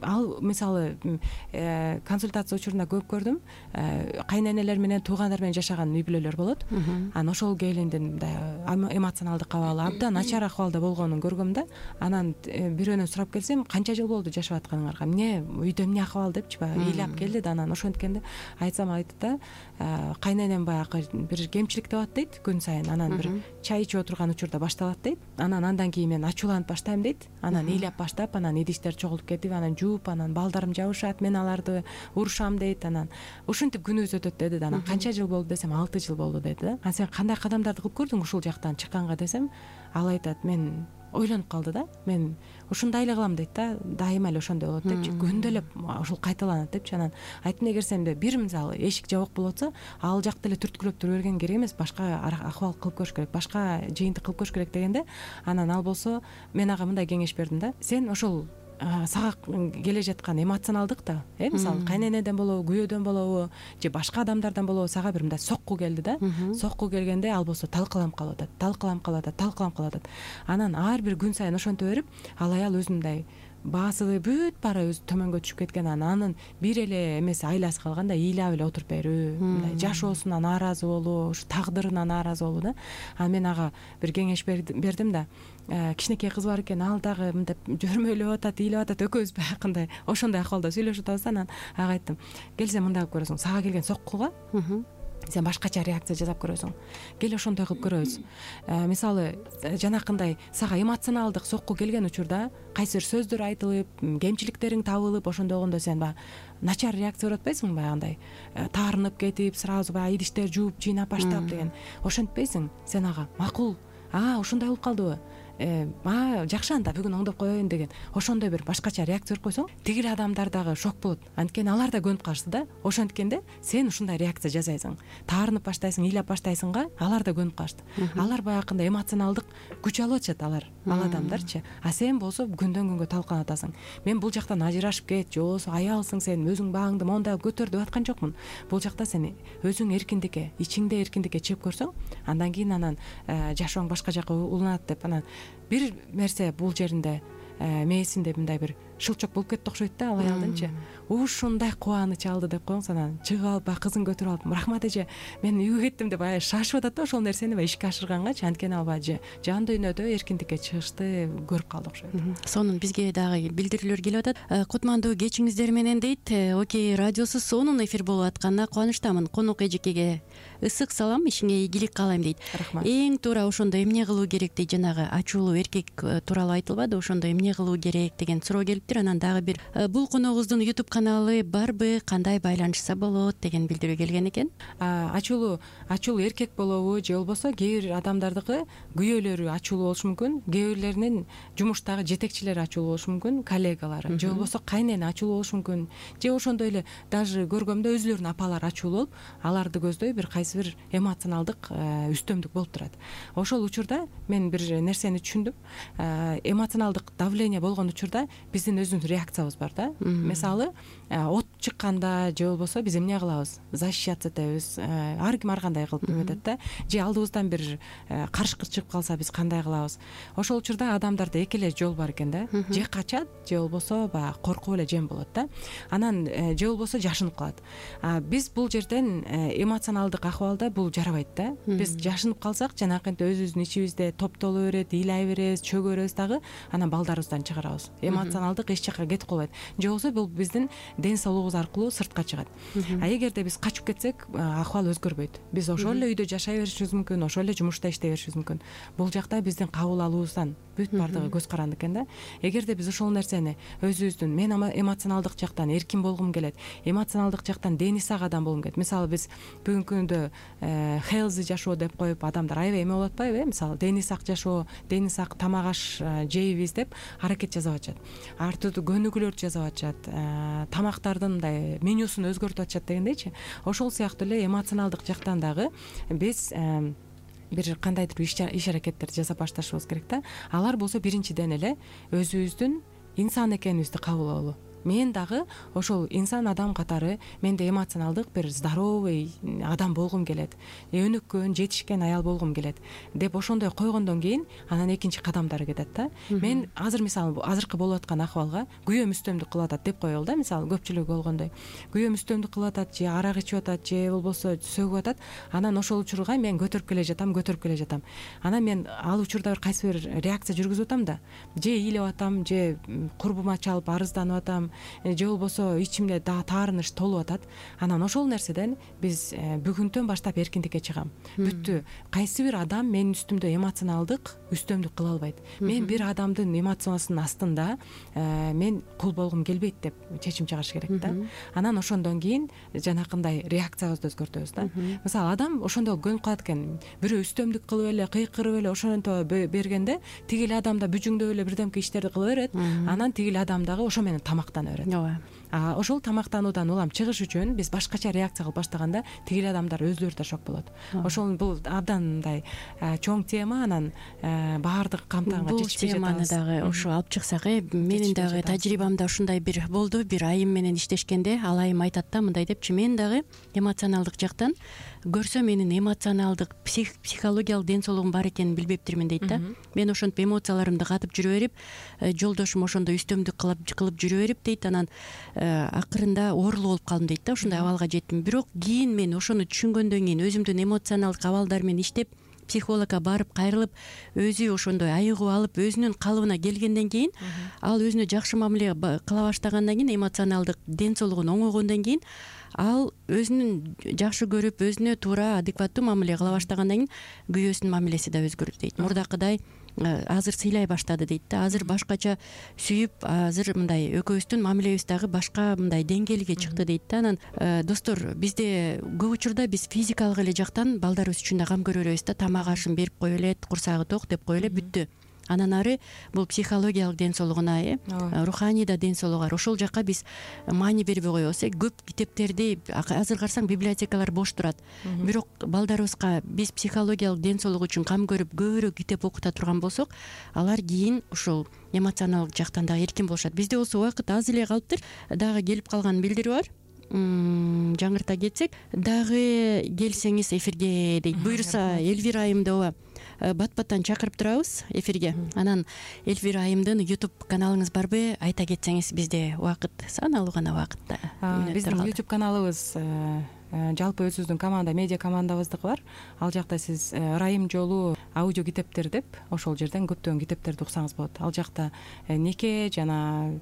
Ал мисалы консультация учурунда көп көрдүм, кайненелер менен, туугандар менен жашаган үй бүлөлөр болот. Анан ошол келиндин эмоционалдык абалы абдан начар акыбалда болгонун көргөм да. Анан бирөөнөн сурап келсем, канча жыл болду жашап атканыңарга, эмне үйдө эмне акыбал депчи, баягы ыйлап келди да. Анан ошенткенде айтсам айтты да, кайненем баягы бир кемчилик деп дейт күн сайын. Анан бир чай ичип отурган учурда башталат дейт. Анан андан кийин мен ачууланып баштайм дейт. Анан ыйлап баштап, анан идиштер чогулуп кетип, анан жууп, анан балдарым жабышат, мен аларды урушам дейт. Анан ушинтип күнүбүз өтөт деди да. Анан канча жыл болду десем, 6 жыл болду деди да. Анан сен кандай кадамдарды кылып көрдүң ушул жактан чыкканга десем, ал айтат, мен ойлонуп калды да, мен ушундай эле кылам дейт да, дайыма эле ошондой болот депчи, күндө эле ошол кайталанат депчи. Анан айттым, эгер сенде бир мисалы эшик жабык болуп атса, ал жакты эле түрткүлөп тура берген керек эмес, башка акыбал кылып көрүш керек, башка жыйынтык кылып көрүш керек дегенде, анан ал болсо мен ага мындай кеңеш бердим да, сен ошол сага келе жаткан эмоционалдык да, мисалы кайненеден болобу, күйөөдөн болобу, же башка адамдардан болобу, сага бир мындай сокку келди да. Сокку келгенде ал болсо талкаланып калып атат. Анан ар бир күн сайын ошентип берип, ал аял өзүндөй баасы бүт баары өзү төмөнгө түшүп кеткен. Анын бир эле эмеси айласы калган да, ыйлап эле отуруп берүү, мындай жашоосуна нааразы болуу, ушу тагдырына нааразы болуу да. Анан мен ага бир кеңеш бердим да. Кичинекей кыз бар экен, ал дагы мындай жөрмөйлөп атат, ыйлап атат, экөөбүз баягындай ошондой акыбалда сүйлөшүп атабыз. Анан ага айттым, келсем мындай кылып көрөсүң, сага келген соккуга сен башкача реакция жасап көрөсүң. Кел ошондой кылып көрөбүз. Мисалы жанакындай сага эмоционалдык сокку келген учурда кайсы бир сөздөр айтылып, кемчиликтериң табылып, ошондогондо сен баягы начар реакция көрүп атпайсыңбы, баягындай таарынып кетип, сразу баягы идиштер жууп, жыйнап баштап деген. Ошентпейсиң. Сен ага макул, ушундай болуп калдыбы? Жакшы, анда бүгүн оңдоп коеюн деген ошондой бир башкача реакция берип койсоң, тигил адамдар дагы шок болот. Анткени алар да көнүп калышты да. Ошенткенде сен ушундай реакция жасайсың. Таарынып баштайсың, ыйлап баштайсыңга, алар да көнүп калышты. Алар баягындай эмоционалдык күч алып атышат, алар ал адамдарчы. Сен болсо күндөн күнгө талкаланып атасың. Мен бул жактан ажырашып кет, же болбосо аялсың, сен өзүң багыңды мондап көтөр деп аткан жокмун. Бул жакта сен өзүң эркиндикке, ичиңде эркиндикке чыгып көрсөң, андан кийин жашооң башка жака уланат деп бир нерсе бул жеринде мээсинде мындай бир шылчок болуп кетти окшойт да, ал аялдынчы. Ушундай кубаныч алды деп коюңуз, анан чыгып алып баягы кызын көтөрүп алып, рахмат эже, мен үйгө кеттим деп баягы шашып атат да ошол нерсени баягы ишке ашыргангачы. Анткени ал баягы жан дүйнөдө эркиндикке чыгышты көрүп калды окшойт. Сонун бизге дагы билдирүүлөр келип атат. Кутмандуу кечиңиздер менен дейт. Окей, радиосу сонун эфир болуп атканына кубанычтамын. Конок эжекеге ысык салам, ишиңе ийгилик каалайм дейт. Рахмат. Эң туура ошондо эмне кылуу керек дейт. Жанагы ачуулуу эркек тууралуу айтылбады, ошондо эмне кылуу керек деген суроо келиптир. Анан дагы бир бул коногубуздун YouTube каналы барбы, кандай байланышса болот деген билдирүү келген экен. Ачуулуу эркек болобу, же болбосо кээ бир адамдардыкы күйөөлөрү ачуулуу болушу мүмкүн, кээ бирлеринин жумуштагы жетекчилери ачуулуу болушу мүмкүн, коллегалары, же болбосо кайнени ачуулуу болушу мүмкүн, же ошондой эле даже көргөмдө өзүлөрүнүн апалары ачуулуу болуп, аларды көздөй бир кайсы бир эмоционалдык үстөмдүк болуп турат. Ошол учурда мен бир нерсени түшүндүм. Эмоционалдык давление болгон учурда биздин өзүбүздүн реакциябыз бар да. Мисалы, от чыкканда же болбосо биз эмне кылабыз? Защищаться этебиз. Ар ким ар кандай кылып эметет да. Же алдыбыздан бир карышкыр чыгып калса биз кандай кылабыз? Ошол учурда адамдарда эки эле жол бар экен да. Же качат, же болбосо баягы коркуп эле жем болот да. Анан же болбосо жашынып калат. Биз бул жерден эмоционалдык акыбалда бул жарабайт да. Биз жашынып калсак, жанакынтип өзүбүздүн ичибизде топтоло берет, ыйлай беребиз, чөгө беребиз дагы, анан балдарыбыздан чыгарабыз. Эмоционалдык эч жака кетип калбайт. Же болбосо бул биздин ден соолугубуз аркылуу сыртка чыгат. Эгерде биз качып кетсек, акыбал өзгөрбөйт. Биз ошол эле үйдө жашай беришибиз мүмкүн, ошол эле жумушта иштей беришибиз мүмкүн. Бул жакта биздин кабыл алуубуздан бүт бардыгы көз каранды экен да. Эгерде биз ошол нерсени өзүбүздүн, мен эмоционалдык жактан эркин болгум келет, эмоционалдык жактан дени сак адам болгум келет. Мисалы биз бүгүнкү күндө healthy жашоо деп коюп адамдар аябай эме болуп атпайбы? Мисалы дени сак жашоо, дени сак тамак аш жейбиз деп аракет жасап атышат. Ар түрдүү көнүгүүлөрдү жасап атышат. Тамактардын мындай менюсун өзгөртүп атышат дегендейчи. Ошол сыяктуу эле эмоционалдык жактан дагы биз бир кандайдыр иш аракеттерди жасап башташыбыз керек да. Алар болсо биринчиден эле өзүбүздүн инсан экенибизди кабыл алуу. Мен дагы ошол инсан адам катары менде эмоционалдык бир здоровый адам болгум келет, өнүккөн, жетишкен аял болгум келет деп ошондой койгондон кийин анан экинчи кадамдары кетет да. Мен азыр мисалы азыркы болуп аткан акыбалга күйөөм үстөмдүк кылып атат деп коелу да. Мисалы көпчүлүгү болгондой күйөөм үстөмдүк кылып атат, же арак ичип атат, же болбосо сөгүп атат. Анан ошол учурга мен көтөрүп келе жатам. Анан мен ал учурда бир кайсы бир реакция жүргүзүп атам да. Же ыйлап атам, же курбума чалып арызданып атам, же болбосо ичимде таарыныч толуп атат. Анан ошол нерседен биз бүгүнтөн баштап эркиндикке чыгам. Бүттү. Кайсы бир адам менин үстүмдө эмоционалдык үстөмдүк кыла албайт. Мен бир адамдын эмоциясынын астында мен кул болгум келбейт деп чечим чыгарыш керек да. Анан ошондон кийин жанакындай реакциябызды өзгөртөбүз да. Мисалы адам ошондо көнүп калат экен. Бирөө үстөмдүк кылып эле, кыйкырып эле ошонто бергенде тигил адам да бүжүңдөп эле бирдемке иштерди кыла берет. Анан тигил адам дагы ошо менен тамактана берет. Ооба. Ошол тамактануудан улам чыгыш үчүн биз башкача реакция кылып баштаганда тигил адамдар өзүлөрү да шок болот. Ошол бул абдан мындай чоң тема, анан баардык камтыганга жетишпей жатабыз. Бул теманы дагы ошо алып чыксак, менин дагы тажрыйбамда ушундай бир болду. Бир айым менен иштешкенде ал айым айтат да мындай депчи: мен дагы эмоционалдык жактан көрсө менин эмоционалдык психологиялык ден соолугум бар экенин билбептирмин дейт да. Мен ошентип эмоцияларымды катып жүрө берип, жолдошум ошондой үстөмдүк кылып жүрө берип дейт. Анан акырында оорулуу болуп калдым дейт да. Ушундай абалга жеттим. Бирок кийин мен ошону түшүнгөндөн кийин өзүмдүн эмоционалдык абалдар менен иштеп, психологко барып кайрылып өзү ошондой айыгуу алып өзүнүн калыбына келгенден кийин ал өзүнө жакшы мамиле кыла баштагандан кийин эмоционалдык ден соолугун оңойгондон кийин ал өзүнүн жакшы көрүп өзүнө туура адекваттуу мамиле кыла баштагандан кийин күйөөсүнүн мамилеси да өзгөрдү дейт. Мурдакыдай азыр сыйлай баштады дейт да. Азыр башкача сүйүп, азыр мындай экөөбүздүн мамилебиз дагы башка мындай деңгээлге чыкты дейт да. Анан достор, бизде көп учурда биз физикалык эле жактан балдарыбыз үчүн да кам көрө беребиз да. Тамак ашын берип коюп элет, курсагы ток деп коюп эле бүттү. Анан ары бул психологиялык ден соолугуна, руханий да ден соолугу бар. Ошол жакка биз маани бербей коебуз. Көп китептерди азыр карасаң библиотекалар бош турат. Бирок балдарыбызга биз психологиялык ден соолугу үчүн кам көрүп көбүрөөк китеп окута турган болсок, алар кийин ушул эмоционалдык жактан дагы эркин болушат. Бизде болсо убакыт аз эле калыптыр. Дагы келип калган билдирүү бар. Жаңырта кетсек, дагы келсеңиз эфирге дейт. Буюрса Эльвира айымды ооба бат-баттан чакырып турабыз эфирге. Анан Эльвира айымдын YouTube каналыңыз барбы? Айта кетсеңиз, бизде убакыт саналуу гана убакытта. Биздин YouTube каналыбыз жалпы өзүбүздүн команда, медиа командабыздыкы бар. Ал жакта сиз Ырайым жолу аудио китептер деп ошол жерден көптөгөн китептерди уксаңыз болот. Ал жакта неке жана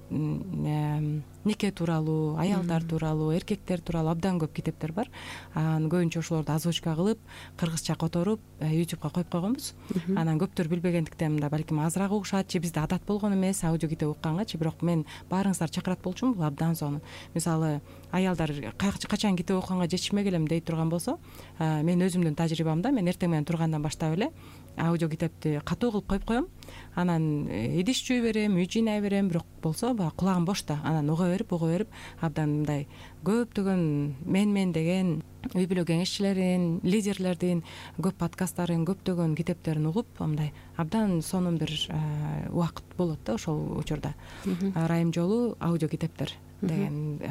неке тууралуу, аялдар тууралуу, эркектер тууралуу абдан көп китептер бар. Анан көбүнчө ошолорду озвучка кылып, кыргызча которуп YouTubeга коюп койгонбуз. Анан көптөр билбегендиктен мында балким азыраак угушат, же бизде адат болгон эмес аудио китеп уккангачы, бирок мен баарыңыздарды чакырат болчумун, бул абдан сонун. Мисалы, аялдар качан китеп окуганга жетишмек элем дей турган болсо, мен өзүмдүн тажрыйбамда мен эртең менен тургандан баштап эле аудио китепти катуу кылып коюп коем. Анан идиш жууй берем, үй жыйнай берем, бирок болсо баягы кулагым бошто. Анан уга берип абдан мындай көптөгөн мен деген үй бүлө кеңешчилерин, лидерлердин көп подкасттарын, көптөгөн китептерин угуп, мындай абдан сонун бир убакыт болот да ошол учурда. Ырайым жолу аудио китептер деген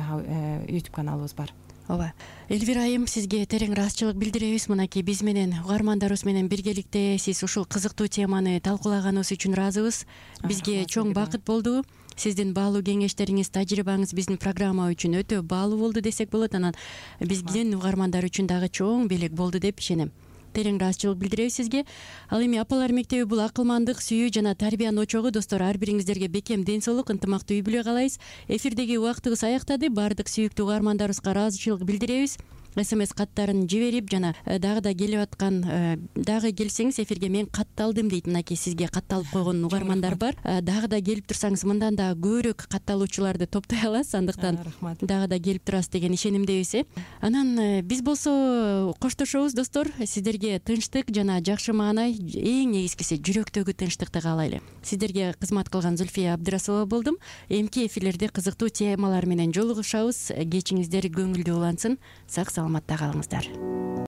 YouTube каналыбыз бар. Ооба. Эльвира айым, сизге терең ыраазычылык билдиребиз. Мынакей биз менен угармандарыбыз менен биргеликте сиз ушул кызыктуу теманы талкуулаганыбыз үчүн ыраазыбыз. Бизге чоң бакыт болду. Сиздин баалуу кеңештериңиз, тажрыйбаңыз биздин программа үчүн өтө баалуу болду десек болот. Анан биздин угармандар үчүн дагы чоң белек болду деп ишенем. Терең ыраазычылык билдиребиз сизге. Ал эми Апалар мектеби бул акылмандык, сүйүү жана тарбиянын очогу. Достор, ар бириңиздерге бекем ден соолук, ынтымактуу үй бүлө каалайбыз. Эфирдеги убактыбыз аяктады. Баардык сүйүктүү угармандарыбызга ыраазычылык билдиребиз. СМС каттарын жиберип жана дагы да келип аткан, дагы келсеңиз эфирге мен катталдым дейт. Мынакей сизге катталып койгон угармандар бар. Дагы да келип турсаңыз, мындан да көбүрөөк катталуучуларды топтой аласыз. Андыктан дагы да келип турасыз деген ишенимдебиз. Анан биз болсо коштошобуз достор. Сиздерге тынчтык жана жакшы маанай, эң негизгиси жүрөктөгү тынчтыкты каалайлы. Сиздерге кызмат кылган Зульфия Абдрасулова болдум. Эмки эфирлерде кызыктуу темалар менен жолугушабыз. Кечиңиздер көңүлдүү улансын. Сак саламатта калыңыздар.